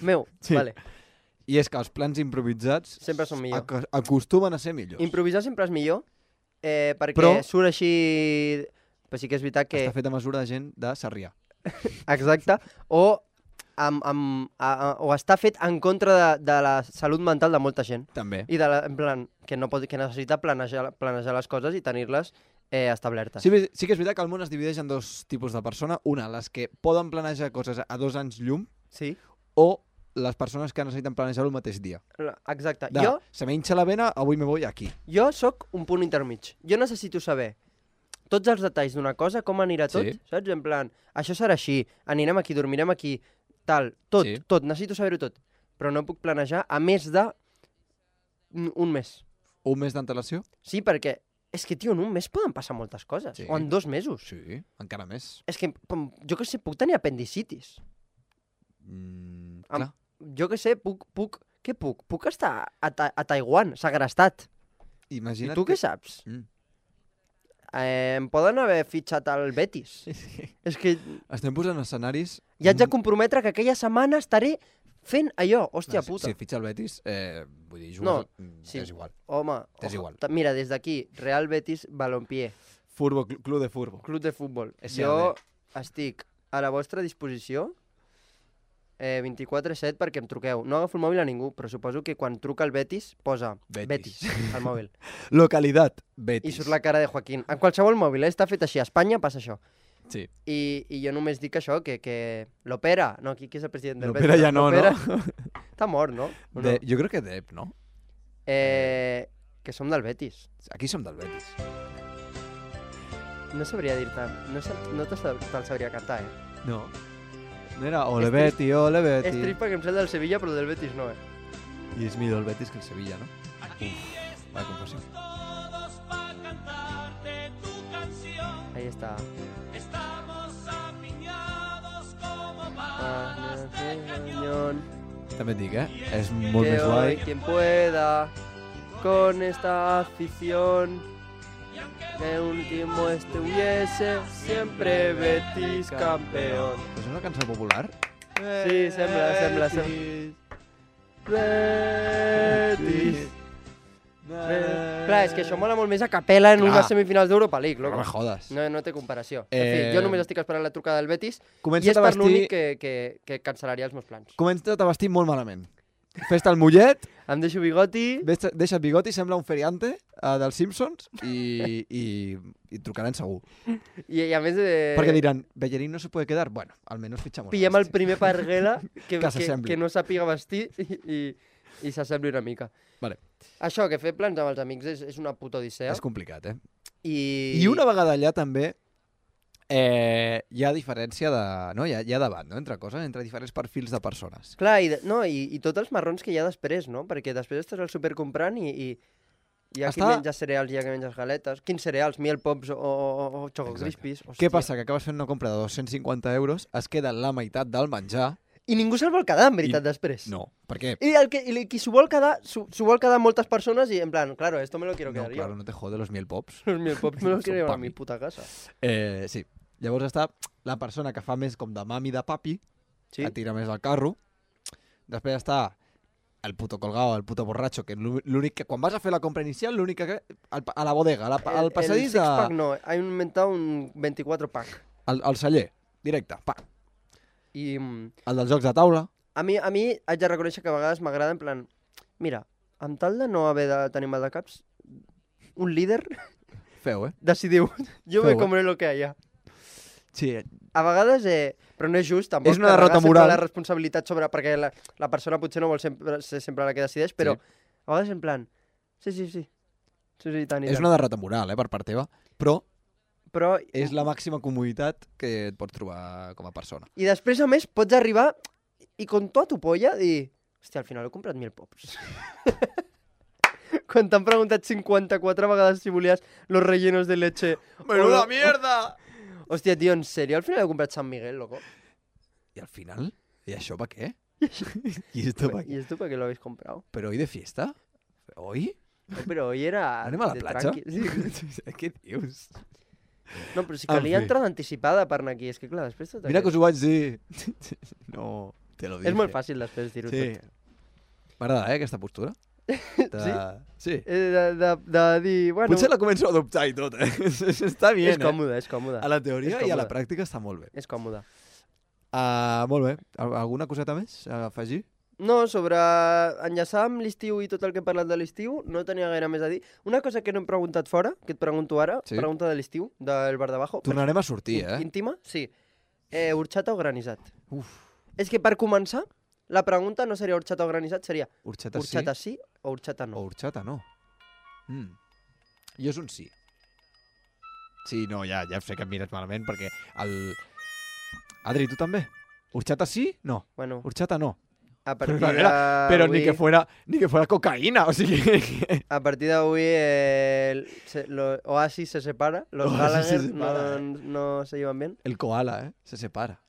Meu, vale. I és que els plans improvisats... Sempre són millor. Acostumen a ser millors. Improvisar sempre és millor, perquè surt així... Però sí que és veritat que... Està fet a mesura de gent de Sarrià. Exacte. O està fet en contra de la salut mental de molta gent. També. I en plan, que necessita planejar les coses i tenir-les establertes. Sí que és veritat que el món es divideix en 2 tipus de persona. Una, les que poden planejar coses a 2 anys llum. Sí. O les persones que necessiten planejar-ho el mateix dia. Exacte. Se me hincha la vena, avui me voy aquí. Jo sóc un punt intermig. Jo necessito saber tots els detalls d'una cosa, com anirà tot, saps? En plan, això serà així, anirem aquí, dormirem aquí, tal, tot, necessito saber-ho tot. Però no puc planejar a més de un mes. Un mes d'antelació? Sí, perquè és que, tio, en un mes poden passar moltes coses. O en 2 mesos. Sí, encara més. És que, jo què sé, puc tenir apendicitis. Clar. Jo què sé, què puc? Puc estar a Taiwan, segrestat. Imagina't. I tu què saps? Em poden haver fitxat al Betis. És que... Estem posant escenaris... I haig de comprometre que aquella setmana estaré fent allò, hòstia puta. Si fitxa el Betis, vull dir, jugar, és igual. Home, igual. Mira, des d'aquí, Real Betis Balompié. Club de futbol. Club de futbol. Jo estic a la vostra disposició 24/7 perquè em truqueu. No agafo el mòbil a ningú, però suposo que quan truca el Betis posa Betis al mòbil. Localitat, Betis. I surt la cara de Joaquín. En qualsevol mòbil, està fet així. A Espanya passa això. Sí. I jo només dic això, que l'Opera... No, qui és el president del Betis? L'Opera ja no, no? Està mort, no? Jo crec que Dep, no? Que som del Betis. Aquí som del Betis. No sabria dir-te... No te'l sabria cantar, No. No era ole Betty, ole Betty. És trist perquè em sent del Sevilla, però del Betis no, I és millor el Betis que el Sevilla, no? Vaya confessió. Ahí está. També et dic, és molt més guai. Quien pueda con esta afición. que último estuviese, siempre Betis campeón. És una cançó popular? Sí, sembla. Betis. Clar, és que això mola molt més a capella en unes semifinals d'Europa League, loco. No me jodes. No té comparació. En fi, jo només estic esperant la trucada del Betis i Comença't és a per vestir- l'únic que cancel·laria els meus plans. Comença't a vestir molt malament. Fes-te el mullet, Em deixo bigoti. deixa el bigoti, sembla un feriante dels Simpsons i trucaran segur. I a més... Perquè diran, Bellerín no se puede quedar. Bueno, almenys fitxamos. Pillem el primer parguela que s'assembli. no sàpiga vestir i s'assembli una mica. Vale. Això, que fer plans amb els amics és una puta odissea. És complicat, eh? I una vegada allà també hi ha diferència de... No? Hi ha debat, no? Entre coses, entre diferents perfils de persones. Clar, i tots els marrons que hi ha després, no? Perquè després estàs al súper comprant i hi ha qui menja cereals i hi ha qui menja galetes. Quins cereals? Miel Pops o Choco Crispies. Què passa? Que acabes fent una compra de 250 euros, es queda la meitat del menjar... I ningú se'l vol quedar, en veritat, després. No, per què? I qui s'ho vol quedar, s'ho vol quedar moltes persones i en plan, claro, esto me lo quiero quedar No, yo. claro, no te jode los Miel Pops. Los Miel Pops me los quiero llevar a pa' mi mi. puta casa. Sí. Llavors està la persona que fa més com de mami de papi, Sí. que tira més al carro. Després està el puto colgado, el puto borratxo, que l'únic que... Quan vas a fer la compra inicial, l'únic que... A la bodega, al passadís El six-pack no, han inventat un 24-pack. al celler, directe, pa. I El dels jocs de taula. a mi haig de reconèixer que a vegades m'agrada en plan, mira, amb tal de no haver de tenir mal de caps, un líder Feu, decidiu, jo Feu, me comeré lo que haya. Sí, A vegades, però no és just, tampoc. És una carregar derrota sempre moral. la responsabilitat sobre, perquè la persona potser no vol ser sempre la que decideix, però a vegades en plan, sí, tant i és tant. una derrota moral, per part teva, però Però, és la màxima comoditat que et pots trobar com a persona. I després, a més, pots arribar i con tota tu polla dir, hòstia, al final he comprat Miel Pops. Quan t'han preguntat 54 vegades si volies los rellenos de leche... ¡Menuda mierda! Hòstia, tio, en sèrio? Al final he comprat San Miguel, loco. ¿Y al final? ¿Y això pa què? ¿Y esto pa ¿Y qué? esto para qué lo habéis comprado? ¿Pero hoy de fiesta? ¿Hoy? No, pero hoy era... ¿Anem a la de platja? tranqui. Sí. Què dius? No, però si En calia fi. entrada anticipada per anar aquí. És que clar, després tot Mira que aquest- us ho vaig dir. No, te lo dije. És molt fàcil després dir-ho Sí. tot. M'agrada, aquesta postura. Sí. De dir, bueno... Potser la començo a adoptar i tot, Està bé, És còmode, és còmode. A la teoria És i a la còmode. pràctica està molt bé. És còmode. Molt bé. Alguna coseta més a afegir? No, sobre enllaçar amb l'estiu i tot el que he parlat de l'estiu, no tenia gaire més a dir. Una cosa que no hem preguntat fora, que et pregunto ara, Sí. pregunta de l'estiu, del bar de Bajo. Tornarem a sortir, Íntima, sí. Horchata o granissat? Uf. És que per començar, la pregunta no seria horchata o granissat, seria Horchata sí horchata sí o horchata o no. horchata no. Jo és un sí. Sí, no, ja sé que em mires malament perquè el... Adri, tu també? Horchata sí? No. Bueno, Horchata no. a partir Pero ni que fuera cocaína, o sigui... A partir d'avui Oasis se separa, los Oasis Gallagher se separa, no se llevan bien. El koala, se separa.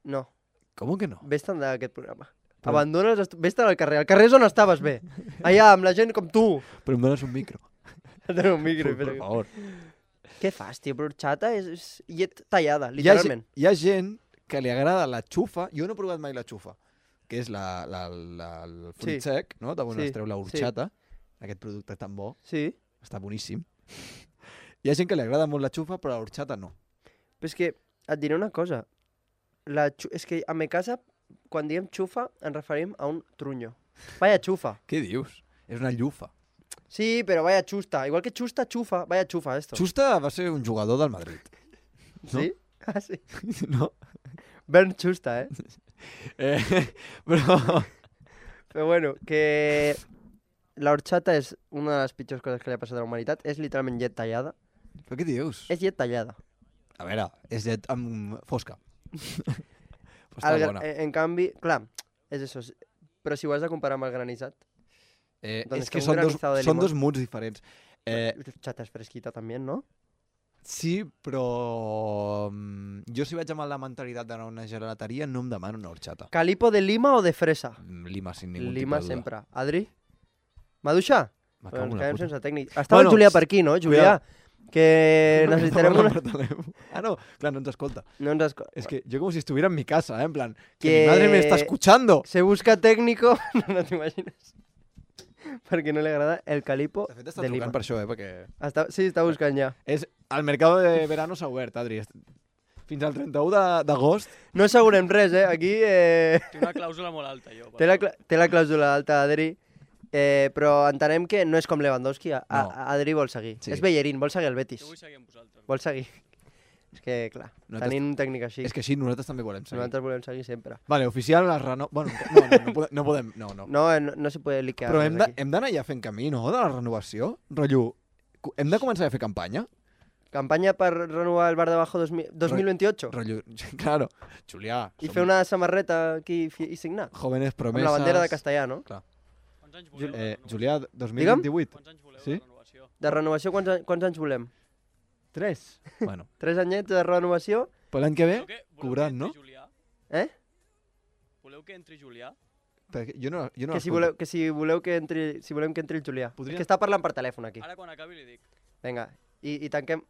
No, ¿Cómo que no? vés-te'n d'aquest programa. Però- Abandona vés-te'n al carrer. Al carrer és on estaves bé. Allà, amb la gent com tu. Però em dones un micro. Tenim un micro. Per favor. Què fas, tio? Però horchata és llet tallada, literalment. Hi ha gent que li agrada la xufa. Jo no he provat mai la xufa, que és el fruit Sí. sec, no? De on Sí, es treu la horchata. Aquest producte tan bo. Sí, Està boníssim. Hi ha gent que li agrada molt la xufa, però la horchata no. però és que et diré una cosa. És que a mi casa, quan diem xufa, ens referim a un trunyo. Vaya xufa. Què dius? És una llufa. Sí, però vaya xusta. Igual que xusta, xufa. Vaya xufa, esto. Xusta va ser un jugador del Madrid. no? Sí? Ah, sí. No? Bernd Xusta, Però... Però bueno, que la horchata és una de les pitjors coses que li ha passat a la humanitat. És literalment llet tallada. Però què dius? És llet tallada. A veure, és llet amb fosca. Però està bona. En canvi, clar, és això. Però si ho has de comparar amb el granissat, És que que un són granizado de són limón. dos moods diferents. horchata és fresquita també, no? Sí, però jo si vaig amb la mentalitat d'anar a una gelateria no em demano una horchata. Calipo de lima o de fresa? Lima, sin ningún Lima tipo de duda. sempre. Adri? Maduixa? Me Però cago ens en la quedem puta. sense tècnic. Estava el Julià per aquí, no, Julià? Que necessitarem una... Ah, no, clar, no ens escolta. No ens escolta. Es que yo como si estuviera en mi casa, en plan, que Que- mi madre me está escuchando. Se busca técnico, no t'imagines? Perquè no li agrada el calipo De fet, està de trucant Lima. per això, perquè... Sí, està buscant ja. El mercado de verano s'ha obert, Adri. Fins al 31 d'agost. No assegurem res, Aquí Té una clàusula molt alta, jo. té la clàusula alta, Adri, però entenem que no és com Lewandowski. No. Adri vol seguir. Sí. És Bellerín, vol seguir el Betis. Jo vull seguir amb vosaltres. Vol seguir. És que, clar, tenint un tècnic així, És que sí, nosaltres també volem seguir. nosaltres volem seguir sempre. Vale, oficial, la reno... Bueno, no podem... No. No se puede liquear. Però res aquí. hem d'anar ja fent camí, no?, de la renovació. Rotllo, hem de començar a fer campanya? Campanya per renovar el Bar de Bajo 2028? Rotllo, claro. Julià. I fer una samarreta aquí i signar? Jóvenes Amb promesas... la bandera de castellà, no? Clar. Quants anys voleu? Julià, 2028. Quants anys voleu Sí? de renovació? De renovació, quants anys volem? 3. Bueno. 3 anyets de renovació? Però l'any que ve, Voleu cobrant, no? Julià? Voleu que entri Julià? Perquè jo no Que si voleu que entri el Julià. Podria- És que està parlant per telèfon aquí. Ara quan acabi li dic. Vinga, i tanquem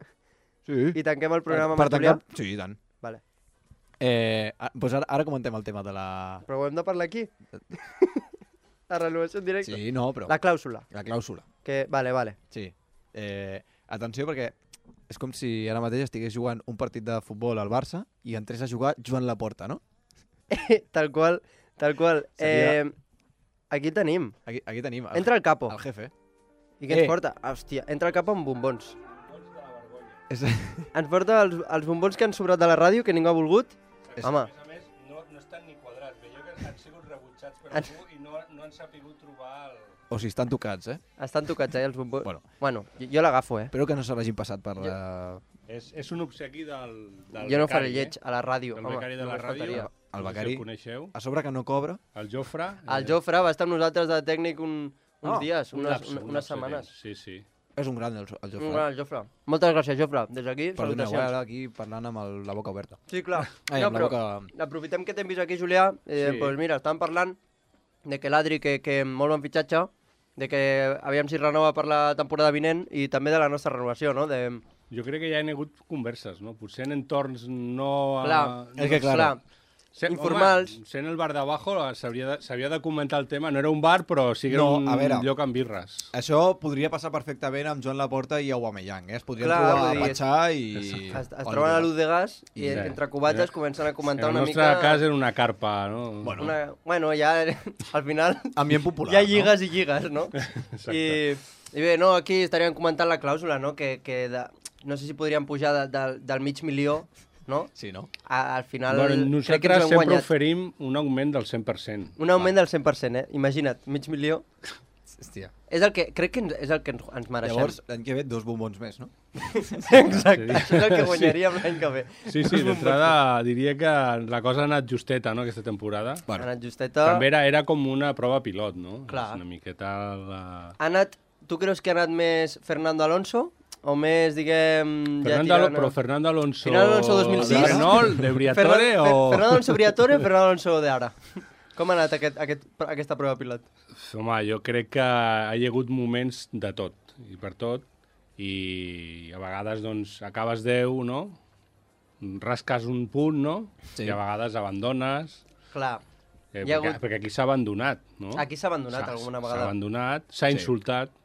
Sí. i tanquem el programa per amb el Julià? tancar... Sí, i tant. Vale. Doncs ara comentem el tema de la... Però ho hem de parlar aquí? La renovació en directe? Sí, no, però... La clàusula. La clàusula. Que... Vale. Sí. Atenció, perquè és com si ara mateix estigués jugant un partit de futbol al Barça i entrés a jugar Joan Laporta, no? Tal qual. Seria- Aquí tenim. Aquí tenim Entra el capo. el jefe. I què ens porta? Hòstia, entra el capo amb bombons. És... Ens porta els bombons que han sobrat de la ràdio, que ningú ha volgut. Home, A més, no estan ni quadrats. Veieu que han sigut rebutjats per algú i no han sapigut trobar el... O si estan tocats, estan tocats, els bombons. Bueno, Jo l'agafo, espero que no se l'hagin passat per la... És un obsequi del Jo no faré becari, lleig a la ràdio. Del home, becari de la només ràdio. faltaria. El No sé si becari. el coneixeu. A sobre que no cobra. El Jofre. El Jofre va estar amb nosaltres de tècnic uns dies, un lapse unes de setmanes. temps. Sí. És un gran el Jofre. Un gran el Jofre. Moltes gràcies, Jofre. Des d'aquí, Perdoneu, salutacions. ara aquí parlant amb la boca oberta. Sí, clar. Ai, No, amb la però boca... aprofitem que t'hem vist aquí, Julià. Sí. Pues mira, estàvem parlant de que l'Adri, que molt bon fitxatge, de que aviam si renova per la temporada vinent i també de la nostra renovació, no? Jo crec que ja hi ha hagut converses, no? Potser en entorns no... Clar, és que clar. informals. Home, sent el bar d'abajo s'havia de comentar el tema. No era un bar, però sí que era No, un a veure. lloc amb birres. Això podria passar perfectament amb Joan Laporta i Aubameyang, Es podrien Clar, trobar vull a dir, Patxà i... Es troben a l'ús de gas i I- entre cubates comencen a comentar En una el nostre mica... cas era una carpa, no? Bueno, ja al final Ambient popular, hi ha no? lligues i lligues, no? Exacte. I bé, no, aquí estaríem comentant la clàusula, no? No sé si podríem pujar del mig milió, no? Sí, no? Al final Bueno, crec que ens nosaltres ho hem sempre guanyat. oferim un augment del 100%. Un augment del 100%, Imagina't, mig milió. Hòstia. És el que, crec que és el que ens mereixem. Llavors, l'any que ve, 2 bombons més, no? Exacte, això és el que guanyaríem l'any que ve. Sí, d'entrada diria que la cosa ha anat justeta, no?, aquesta temporada. Ha anat justeta. També era com una prova pilot, no? Clar. És una miqueta la... Ha anat, tu creus que ha anat més Fernando Alonso? O més, diguem... Però Fernando Alonso... Fernando Alonso 2006? De Renault, de Briatore o... Fernando Alonso Briatore o Fernando Alonso de ara? Com ha anat aquesta prova pilot? Home, jo crec que hi ha hagut moments de tot, i per tot, i a vegades, doncs, acabes 10, no? Rasques un punt, no? Sí. I a vegades abandones... Clar. Perquè aquí s'ha abandonat, no? Aquí s'ha abandonat alguna vegada. S'ha abandonat, s'ha insultat.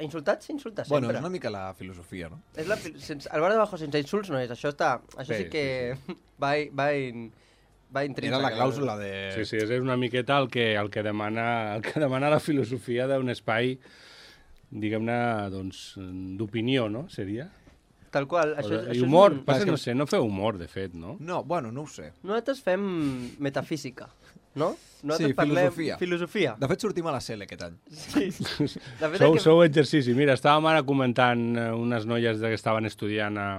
Insultat s'insulta sempre. Bueno, és una mica la filosofia, no? El bar de bajo sense insults no és. Això sí que va intrínsec. Era la clàusula de... Sí, és una miqueta el que demana la filosofia d'un espai, diguem-ne, doncs, d'opinió, no? Seria? Tal qual. I humor, no sé, no feu humor, de fet, no? No, bueno, no ho sé. Nosaltres fem metafísica, no? Sí, filosofia. Filosofia. De fet, sortim a la CL aquest any. Sí. Sou exercici. Mira, estàvem ara comentant unes noies que estaven estudiant a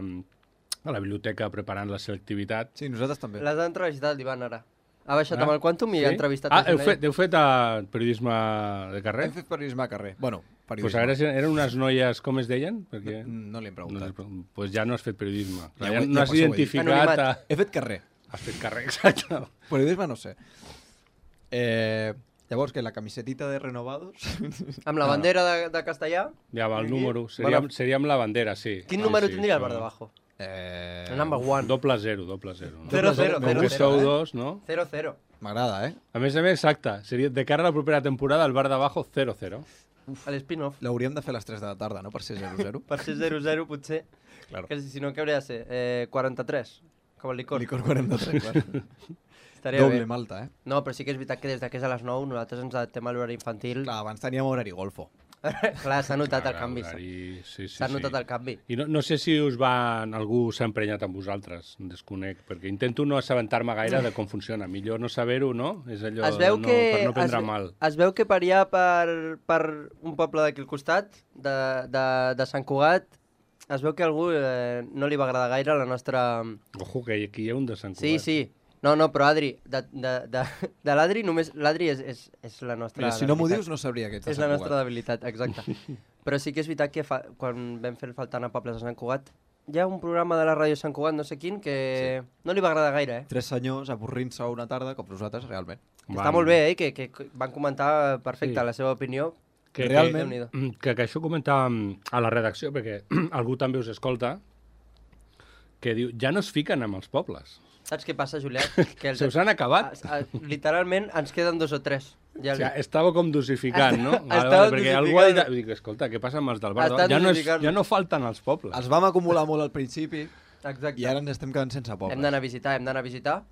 la biblioteca preparant la selectivitat. Sí, nosaltres també. Les ha entrevistat l'Ivan ara. Ha baixat amb el Quantum i ha entrevistat... Heu fet periodisme de carrer? Hem fet periodisme de carrer. Bueno, Pues ara eren unes noies, com es deien? Perquè... No li hem preguntat. Pues ja no has fet periodisme. Ja no has identificat... He fet carrer. Has fet carrer, exacte. Periodisme no sé. Llavors, que la camisetita de Renovados... Amb la bandera de Castellà. Ja va, el número. Seria amb la bandera, sí. Quin número tindria el bar de Bajo? El number one. 0-0. 0-0. Com que sou dos, no? 0-0. M'agrada, A més, exacte. Seria de cara a la propera temporada, el bar de Bajo 0-0. A l'spin-off. L'hauríem de fer a les 3 de la tarda, no? Per ser 0-0. Per ser 0-0, potser. Claro. Que si no, què hauria de ser? 43, com el licor. Licor 43, clar. Estaria Doble bé. malta, No, però sí que és veritat que des que és a les 9 nosaltres ens adaptem a l'horari infantil. Clar, abans teníem horari golfo. Clar, s'ha notat el canvi. S'ha notat el canvi. I no sé si algú s'ha emprenyat amb vosaltres, desconec, perquè intento no assabentar-me gaire de com funciona. Millor no saber-ho, no? És allò per no prendre mal. Es veu que per allà, per un poble d'aquí al costat, de Sant Cugat, es veu que a algú no li va agradar gaire la nostra... Ojo, que aquí hi ha un de Sant Cugat. Sí. No, però Adri, de l'Adri, només l'Adri és la nostra... Mira, si no m'ho dius no sabria que ets de Sant Cugat. És la nostra debilitat, exacte. Però sí que és veritat que quan vam fer faltant a pobles de Sant Cugat, hi ha un programa de la ràdio Sant Cugat, no sé quin, que no li va agradar gaire, 3 senyors avorrint-se una tarda, com nosaltres, realment. Està molt bé, que van comentar perfecte la seva opinió. Que això comentàvem a la redacció, perquè algú també us escolta, que diu, ja no es fiquen amb els pobles. Saps què passa, Julià? Se us han acabat? Literalment ens queden 2 o 3. Ja estava com dosificant, no? Perquè algú ha dit, dic, escolta, què passa amb els del bar? Ja no falten els pobles. Els vam acumular molt al principi. Exacte. I ara ens estem quedant sense pobles. Hem d'anar a visitar,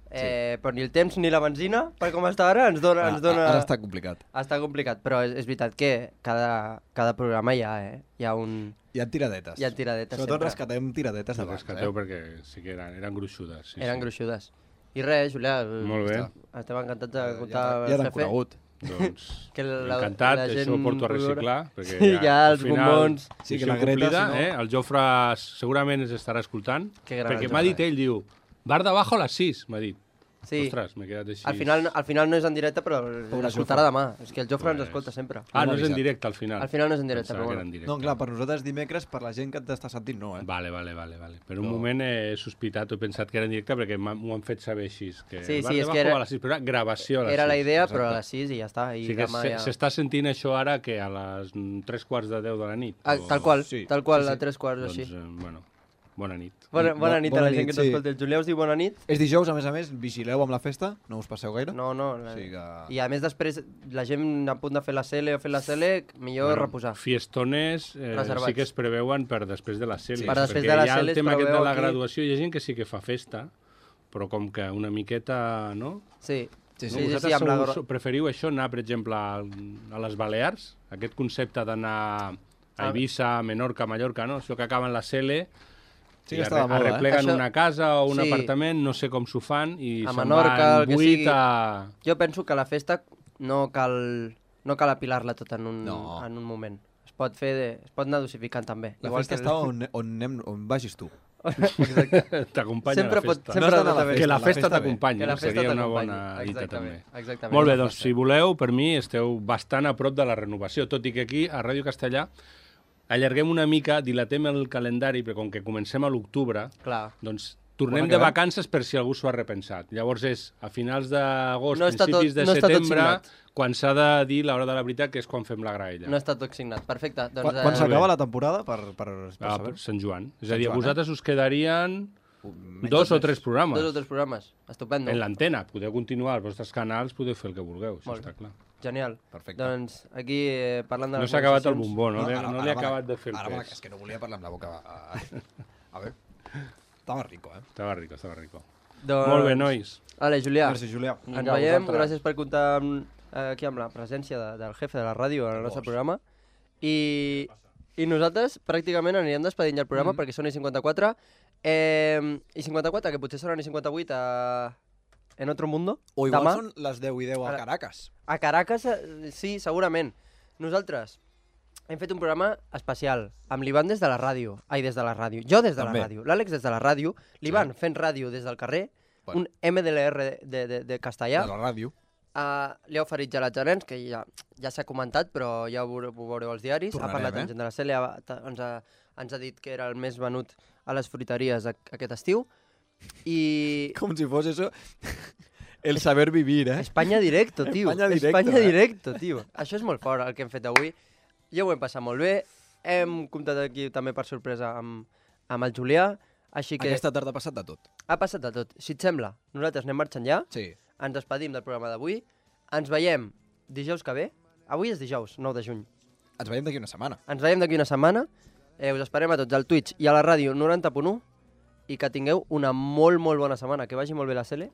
però ni el temps ni la benzina, per com està ara, ens dona... Ara està complicat. Està complicat, però és veritat que cada programa hi ha un... Hi ha tiradetes. Sobretot rescatem tiradetes de bars. Rescateu perquè sí que eren gruixudes. Eren gruixudes. I res, Julià, molt bé. Estem encantats d'escoltar el jefe. Ja t'han conegut. Doncs encantat, això ho porto a reciclar, perquè ja els bombons... Sí, que la Greta, el Jofre segurament ens estarà escoltant, perquè m'ha dit ell, diu, bar de Bajo a les 6, m'ha dit. Ostres, m'he quedat així. Al final no és en directe, però l'escoltarà demà. És que el Jofre ens escolta sempre. No és en directe, al final. Al final no és en directe, però bueno. No, clar, per nosaltres dimecres, per la gent que t'està sentint, no, Vale. Per un moment he sospitat, he pensat que era en directe, perquè m'ho han fet saber així. Sí, és que era... A les 6, però era gravació a les 6. Era la idea, però a les 6 i ja està. Sí que s'està sentint això ara que a les 3:15 de la nit. Tal qual, a 3:15 així. Doncs, bueno, bona nit. Bona nit a la gent que ens escolta. El Julià us diu bona nit. És dijous, a més, vigileu amb la festa, no us passeu gaire. No. I a més després, la gent a punt de fer la CL o fer la CL, millor reposar. Fiestones sí que es preveuen per després de la CL. Per després de la CL es preveu aquí. Perquè hi ha el tema aquest de la graduació, hi ha gent que sí que fa festa, però com que una miqueta, no? Sí. Vosaltres preferiu això, anar, per exemple, a les Balears? Aquest concepte d'anar a Eivissa, Menorca, Mallorca, no? Això que acaben la CL... Sí que està de moda, arrepleguen una casa o un apartament, no sé com s'ho fan, i a se'n Menorca, van 8 a... Jo penso que la festa no cal apilar-la tot en un moment. Es pot anar dosificant també. La festa està on vagis tu. T'acompanya la festa. Que la festa t'acompanyi, seria una bona dita també. Molt bé, doncs si voleu, per mi esteu bastant a prop de la renovació, tot i que aquí, a Ràdio Castellà, allarguem una mica, dilatem el calendari, perquè com que comencem a l'octubre, doncs tornem de vacances per si algú s'ho ha repensat. Llavors és a finals d'agost, principis de setembre, quan s'ha de dir l'hora de la veritat, que és quan fem la graella. No està tot signat, perfecte. Quan s'acaba la temporada, per saber? Sant Joan. És a dir, a vosaltres us quedarien 2 o 3 programes. 2 o 3 programes, estupendo. En l'antena, podeu continuar als vostres canals, podeu fer el que vulgueu, això està clar. Genial. Perfecte. Doncs aquí parlant de les no s'ha acabat el bombó, no? No li ha acabat de fer el pes. És que no volia parlar amb la boca. A veure, estava rico, Estava rico. Molt bé, nois. Vale, Julià. Merci, Julià. Ens veiem, gràcies per comptar aquí amb la presència del jefe de la ràdio en el nostre programa. I nosaltres pràcticament anirem despedint ja el programa perquè són i 54. I 54, que potser seran i 58 en otro mundo. O igual són les 10 i 10 a Caracas. A Caracas, sí, segurament. Nosaltres hem fet un programa especial amb l'Ivan des de la ràdio. Des de la ràdio. Jo des de la ràdio. L'Àlex des de la ràdio. L'Ivan fent ràdio des del carrer. Un MDLR de castellà. De la ràdio. Li ha oferit gelats a nens, que ja s'ha comentat, però ja ho veureu als diaris. Ha parlat amb gent de la CL, ens ha dit que era el més venut a les fruiteries aquest estiu. I... Com si fos això... El saber vivir, Espanya directo, tio. Espanya directo, tio. Això és molt fort, el que hem fet avui. Ja ho hem passat molt bé. Hem comptat aquí també per sorpresa amb el Julià. Així que... Aquesta tarda ha passat de tot. Ha passat de tot. Si et sembla, nosaltres anem marxant ja. Sí. Ens despedim del programa d'avui. Ens veiem dijous que ve. Avui és dijous, 9 de juny. Ens veiem d'aquí una setmana. Us esperem a tots al Twitch i a la ràdio 90.1 i que tingueu una molt, molt bona setmana. Que vagi molt bé la Cele,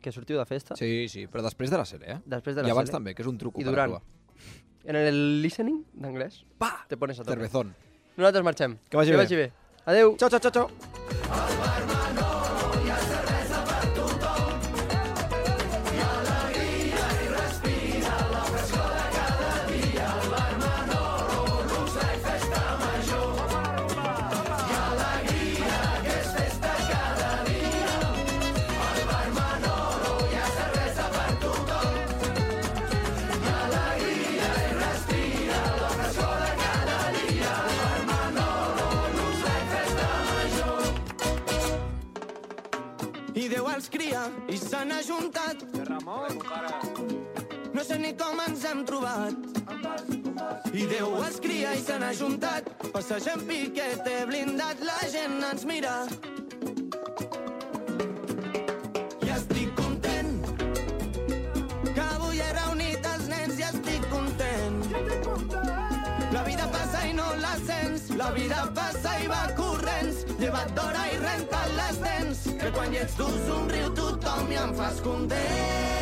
que sortiu de festa. Sí, però després de la Cele, Després de la Cele. I abans Cele. també, que és un truco I durant. En el listening d'anglès, te pones a tope. Cervezón. Nosaltres marxem. Que vagi bé. Adeu. Ciao, ciao, ciao, ciao. Al bar Manolo hi ha cervesa per tothom. Hi ha alegria i respira la frescor de cada dia. Al bar Manolo, luxe i festa major. Hi ha alegria que és festa cada dia. Al bar Manolo hi ha cervesa per tothom. Hi ha alegria i respira la frescor de cada dia. Al bar Manolo, luxe i festa major. I Déu els cria i se n'ha juntat. Ramon, no sé ni com ens hem trobat. I Déu els cria i se n'ha juntat. Passegem piquete blindat, la gent ens mira. I estic content que avui he reunit els nens i estic content. La vida passa i no la sents. La vida passa i va corrents. Lleva't d'hora i renta't les dents. Que quan hi ets tu somriu tothom i em fas content.